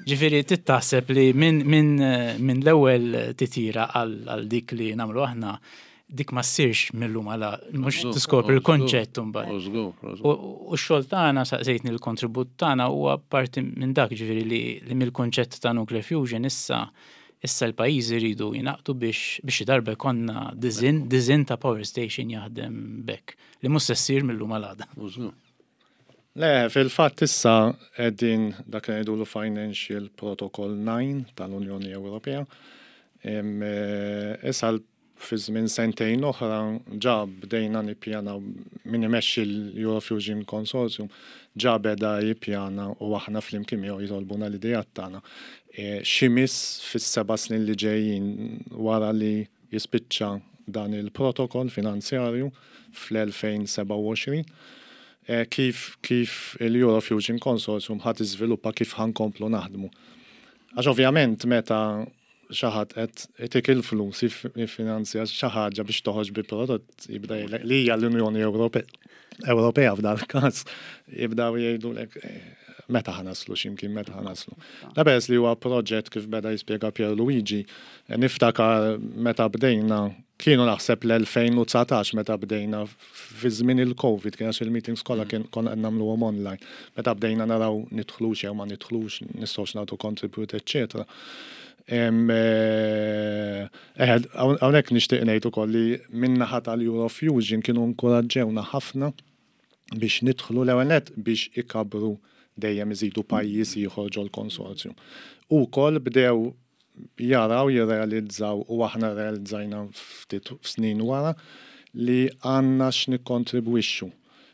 Ġifieri tittaħseb li minn l-ewwel titira għal dik li nagħmlu aħna, dik ma ssirx mill-lum għala, mhux tiskopri l-konċett mbagħad. U x-xogħol tagħna, saqsejtni l-kontribut tagħna, huwa parti minn dak, ġifieri li mill-konċett ta' nuclear fusion issa l-pajjiżi jridu jingħaqdu biex xi darba jkollna design ta' power station jaħdem b'hekk li mhux se ssir mill-lum għal għada. Le, fil-fatt issa qegħdin dak li ngħidulu Financial Protocol 9 tal-Unjoni Ewropea. Issa fi żmien sentejn oħra ġa bdejna nippjana, min imexxi l-Eurofusion Consortium ġa beda jippjana u aħna flimkien miegħu jitolbuna l-idejat tagħna. X'imiss fis-7 snin li ġejjin wara li jispiċċa dan il-protokoll finanzjarju fl-2027, kif il-Eurofusion Consortium ħa tiżviluppa, kif ħa nkomplu naħdmu. Għax ovvjament meta xi ħadd qed itik il-flus jiffinanzja xi ħaġa biex toħroġ bi prodott, jibda jgħidlek li hija l-Unjoni Ewropea f'dal każ, jibdaw jgħidulek meta ħa naslu x'imkien, meta ħa naslu. Da peress li huwa proġett, kif beda jispjega Pierluigi, niftakar meta bdejna, kienu naħseb l-2019 meta bdejna fi żmien il-Covid, kien għax il-meetings kollha kien konna qed nagħmluhom online. Meta bdejna naraw nidħlux jew ma nidħlux, nistgħux nagħtu contribute, eċċetera. Hawnhekk nixtieq ngħid ukoll li min-naħa tal-Eurofusion kienu inkoraġġewna ħafna biex nidħlu, l-ewwel nett biex ikabru, dejjem iżidu pajjiż ieħor ġol-konsorzju. U wkoll bdew jaraw, jirrealizzaw, u aħna realizzajna ftit snin wara li għandna x'nikkontribwixxu.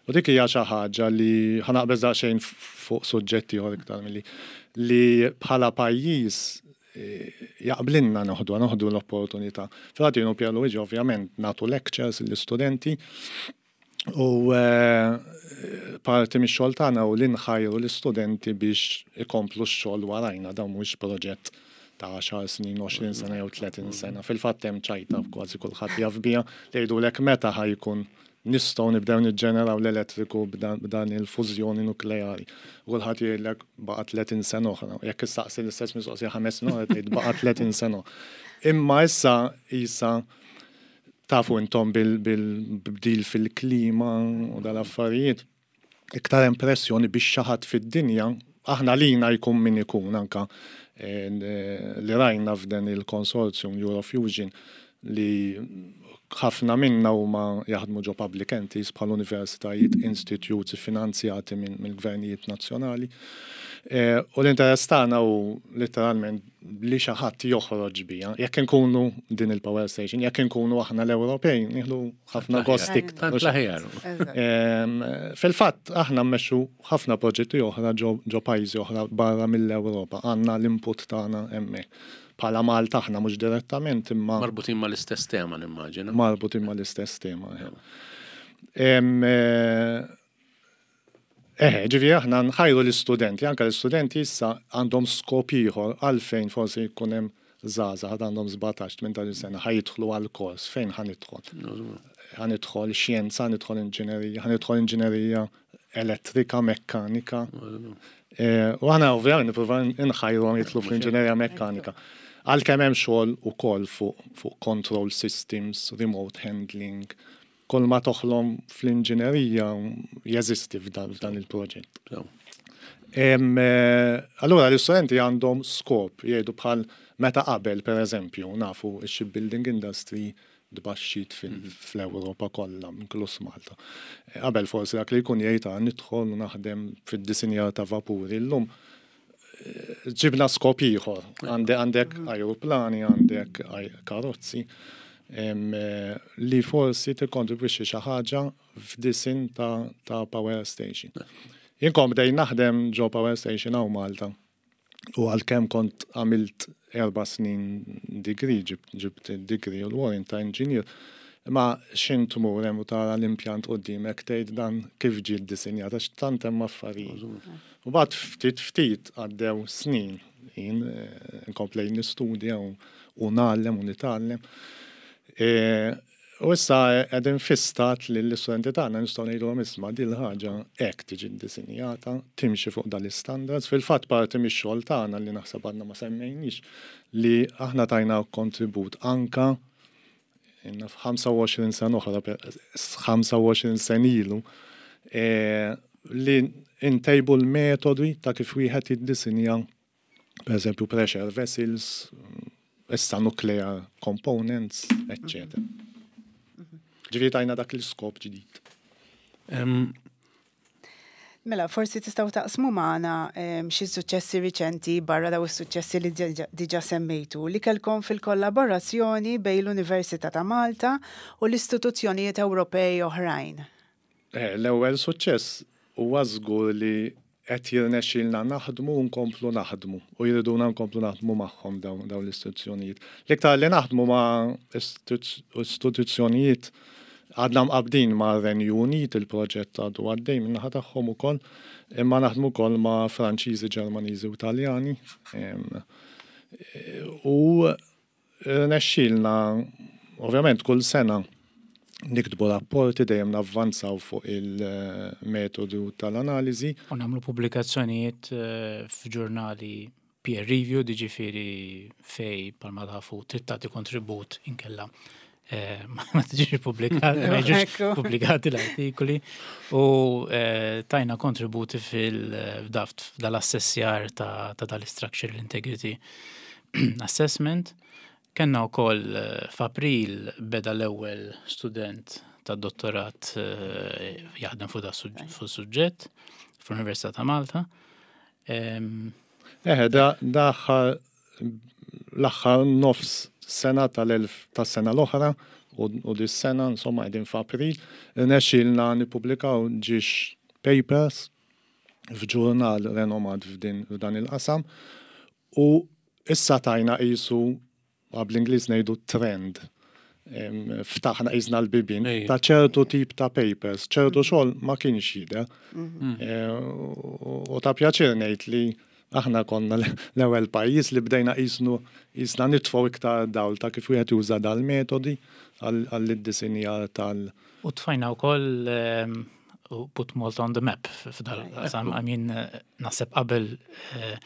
U dik hija xi ħaġa li ħa naqbeż daqsxejn fuq suġġetti ieħor iktar milli li bħala pajjiż jaqblinna noħdu l-opportunità. Fil-fatt jien u Pierluigi ovvjament nagħtu lectures lill-istudenti u parti mix-xogħol tagħna u li nħajru l-istudenti biex ikomplu x-xogħol warajna. Dawn mhuwiex proġett ta' 10 snin, 20 sena jew 30 sena. Fil-fatt hemm ċajta, kważi kulħadd jaf biha, li jgħidulek meta ħa jkun nistgħu nibdew niġġeneraw l-elettriku b'dan il-fużjoni nukleari. U kulħadd jgħidlek baqa' 30 sena oħra. Jekk issaqsi l-istess mistoqsija 5 snin oħra, tgħid baqa' 30 sena. Imma issa isa tafu intom bil-bdil fil-klima u dal-affarijiet. Iktar hemm pressjoni biex xi ħadd fid-dinja, aħna lina jkun min ikun anka eh, li rajna f'dan il-konsorzjum Eurofusion li ħafna minna huma jaħdmu ġo public entities bħal universitajiet, institutes finanzjati mill-gvernijiet nazzjonali. Eh, u l-interess tagħna hu letteralment li xi ħadd joħroġ bija. Jekk inkunu din il-power station, jekk inkunu aħna l-Ewropej, nieħdu ħafna gost iktar. L-aħjar. Fil-fatt aħna mmexxu ħafna proġetti oħra ġo pajjiżi oħra barra mill-Ewropa. Għandna l-input tagħna hemmhekk. Bħala Malta aħna mhux direttament imma. Marbutin mal-istess tema nimmaġina. Marbutin mal-istess tema. Eħe, ġifieri aħna nħajru l-istudenti, anke l-istudenti issa għandhom skop ieħor għalfejn forsi jkun hemm żgħażagħ għad għandhom 17, 18 sena ħa jidħlu għal kors, fejn ħa nidħol? Ħa nidħol xjenza, ħa nidħol inġinerija, ħa nidħol inġinerija elettrika, mekkanika. Eh, u aħna ovvjament nippruvaw inħajruhom jidħlu fl-inġinerija mekkanika. Għalkemm hemm xogħol ukoll fuq control systems, remote handling, Kull ma toħlom fl-inġinerija jeżisti f'dan il-proġett. Eh, allura l-istudenti għandhom skop jgħidu bħal meta qabel pereżempju nafu x-shipbuilding industry tbaxxit mhm. fl-Ewropa kollha, inkluż Malta. Eh, qabel forsi dak li jkun jgħid ah, nidħol u naħdem fid-disinjar ta' vapuri llum eh, ġibna skop ieħor. Għandek mhm. ajruplani, għandek karozzi. Li forsi tikkontribwixxi xi ħaġa f'disinn ta', ta power station. Jien kont bdejt naħdem ġo power station hawn Malta u għalkemm kont għamilt erba' snin degree, ġibt, ġibt degree u l-warrant ta' engineer, imma x'int tmur hemm u tara l-impjant quddiemek tgħid dan kif ġie ddisinjat għax tant hemm affarijiet. U mbagħad ftit ftit għaddew snin jien eh, nkomplejt nistudja u u ngħallem u nitgħallem. E, u issa qegħdin fi stat li l-istudenti tagħna nistgħu ngħidulhom isma' din il-ħaġa hekk tiġi ddisinjata, timxi fuq dal-istandards. Fil-fatt parti mix-xogħol tagħna li naħseb għadna ma semmejniex li aħna tajna kontribut anka inna f'25 sena oħra, 25 sen ilu, e, li ntejbu l-metodi ta' kif wieħed jiddisinja per eżempju pressure vessels, issa nuclear components, etc. Ġifieri tajna dak l-iskop ġdid. Mela, forsi tistgħu taqsmu magħna xi suċċessi riċenti barra daw is-suċċessi li diġà semmejtu li kellkom fil-kollaborazzjoni bejn l-Università ta' Malta u l-istituzzjonijiet Ewropej oħrajn. Eh, l-ewwel suċċess huwa żgur li qed jirnexxilna naħdmu u nkomplu naħdmu u jriduna nkomplu naħdmu magħhom dawn l-istituzzjonijiet. L-iktar li naħdmu ma' istituzzjonijiet għadna mqabbdin ma' Renju Unit, il-proġett għadu għaddej min-naħa tagħhom ukoll, imma naħdmu wkoll ma' Franċiżi, Ġermaniżi u Taljani. U Rnexxielna, ovvjament kull sena niktbu rapporti dejjem navvanzaw fuq il-metodu tal-analiżi. U nagħmlu pubblikazzjonijiet eh, f'ġurnali peer review, jiġifieri fejn bħalma tafu trid tagħti kontribut inkella eh, ma tiġix pubblikati, ma jiġux pubblikati l-artikoli u eh, tajna kontributi fil-daft dal-assessjar ta' dal-structural integrity assessment. Kenna wkoll eh, f'April beda l-ewwel student ta' dottorat eh, jaħdem fuq da suġġett fl-Università ta' Malta. Eħe, da l-aħħar nofs sena tal-elf tas-sena l-oħra u dis-sena, insomma, qegħdin f'April, rnexxielna nippubblikaw ġiex papers f'ġurnal renomat f'dan il-qasam U issa tajna qisu, bl-Ingliż ngħidu trend, ftaħna qisna l-bibien ta' ċertu tip ta' papers, ċertu xogħol ma kienx jidher. Mhm. Eh, u ta' pjaċir ngħid li aħna konna l-ewwel pajjiż li bdejna qisnu qisna nitfgħu iktar dawl ta' kif wieħed juża dal-metodi għall-iddisinjar tal- U tfajna wkoll ehm, put Malta on the map f'dal-qasam. I mean, naħseb qabel eh,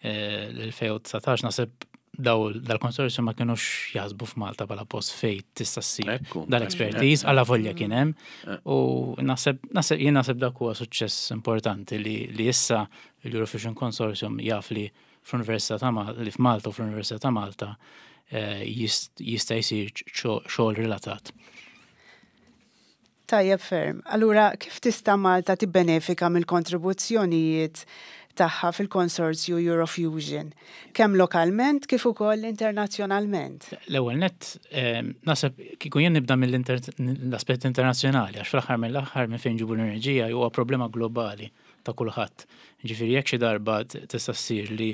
eh, l-2019 naħseb daw dal-konsorzju ma kienux jaħsbu f'Malta bħala post fej tista' ssir dal-expertise għala volja kien hemm. Eh. U naħseb naħseb jien naħseb dak huwa suċċess importanti li li issa l-Eurofusion Consortium jaf li fl-Università ta' Malta li f'Malta u fl-Università ta' Malta eh, jista' jsir xogħol relatat. Tajjeb ferm. Allura, kif tista' Malta tibbenefika mill-kontribuzzjonijiet tagħha fil-konsorzju Eurofusion, kemm lokalment kif ukoll internazzjonalment? L-ewwel nett, naħseb kieku jien nibda mill-aspett internazzjonali, għax fl-aħħar mill-aħħar minn fejn nġibu l-enerġija huwa problema globali ta' kulħadd. Ġifieri jekk xi darba tista' ssir li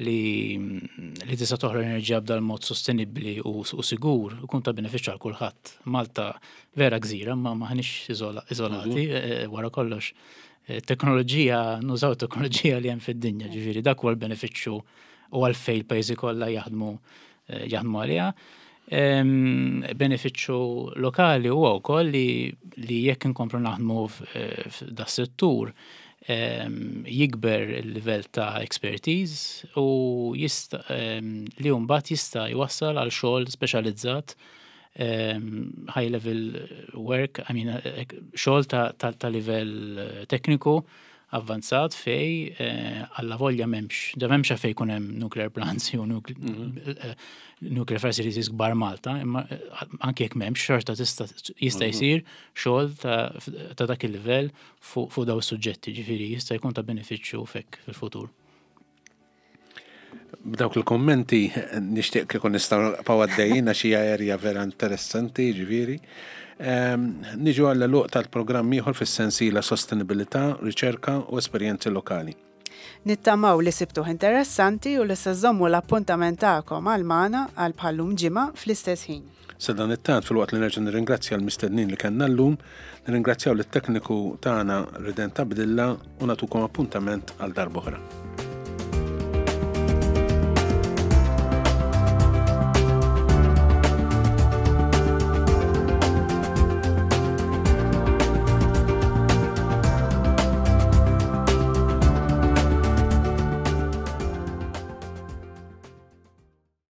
li li tista' toħroġ enerġija b'dal-mod sostenibbli u, u sigur ikun ta' benefiċċju għal kulħadd. Malta vera gżira ma maħniex iżolati mhm. eh, wara kollox. Eh, teknoloġija, nużaw teknoloġija li hemm fid-dinja, ġifieri dak huwa l-benefiċċju u għalfejn il-pajjiżi kollha jaħdmu eh, jaħdmu għaliha. Benefiċċju lokali huwa wkoll li, li jekk inkomplu naħdmu f'da settur jikber il-livell ta' expertise u jista' li mbagħad jista' jwassal għal xogħol speċjalizzat high level work, I mean, xogħol ta', ta, ta livell tekniku avvanzat fej eh, alla volja memx, da memx fej kun hemm nuclear plants jew mhm. eh, nuclear facilities kbar Malta, imma eh, anke jekk memx xorta tista' jista' mhm. jsir xogħol ta' dak il-livell fuq daw is-suġġetti, ġifieri jista' jkun ta' benefiċċju fek fil-futur. B'dawk il-kommenti nixtieq kieku nistgħu nibqgħu għaddejjin għax hija erja vera interessanti, ġifieri. Ehm, niġu għall luq tal-programm ieħor fis-sensiela sostenibilità, riċerka u esperjenzi lokali. Nittamaw li sibtuh interessanti u li se żommu l-appuntament tagħkom għal magħna għal bħallum ġimgħa fl-istess ħin. Sadanittant, filwaqt li nerġa' nirringrazzja l-mistednin li kellna llum, nirringrazzjaw lit-tekniku tagħna Rident Abdilla u nagħtukom appuntament għal darb'oħra.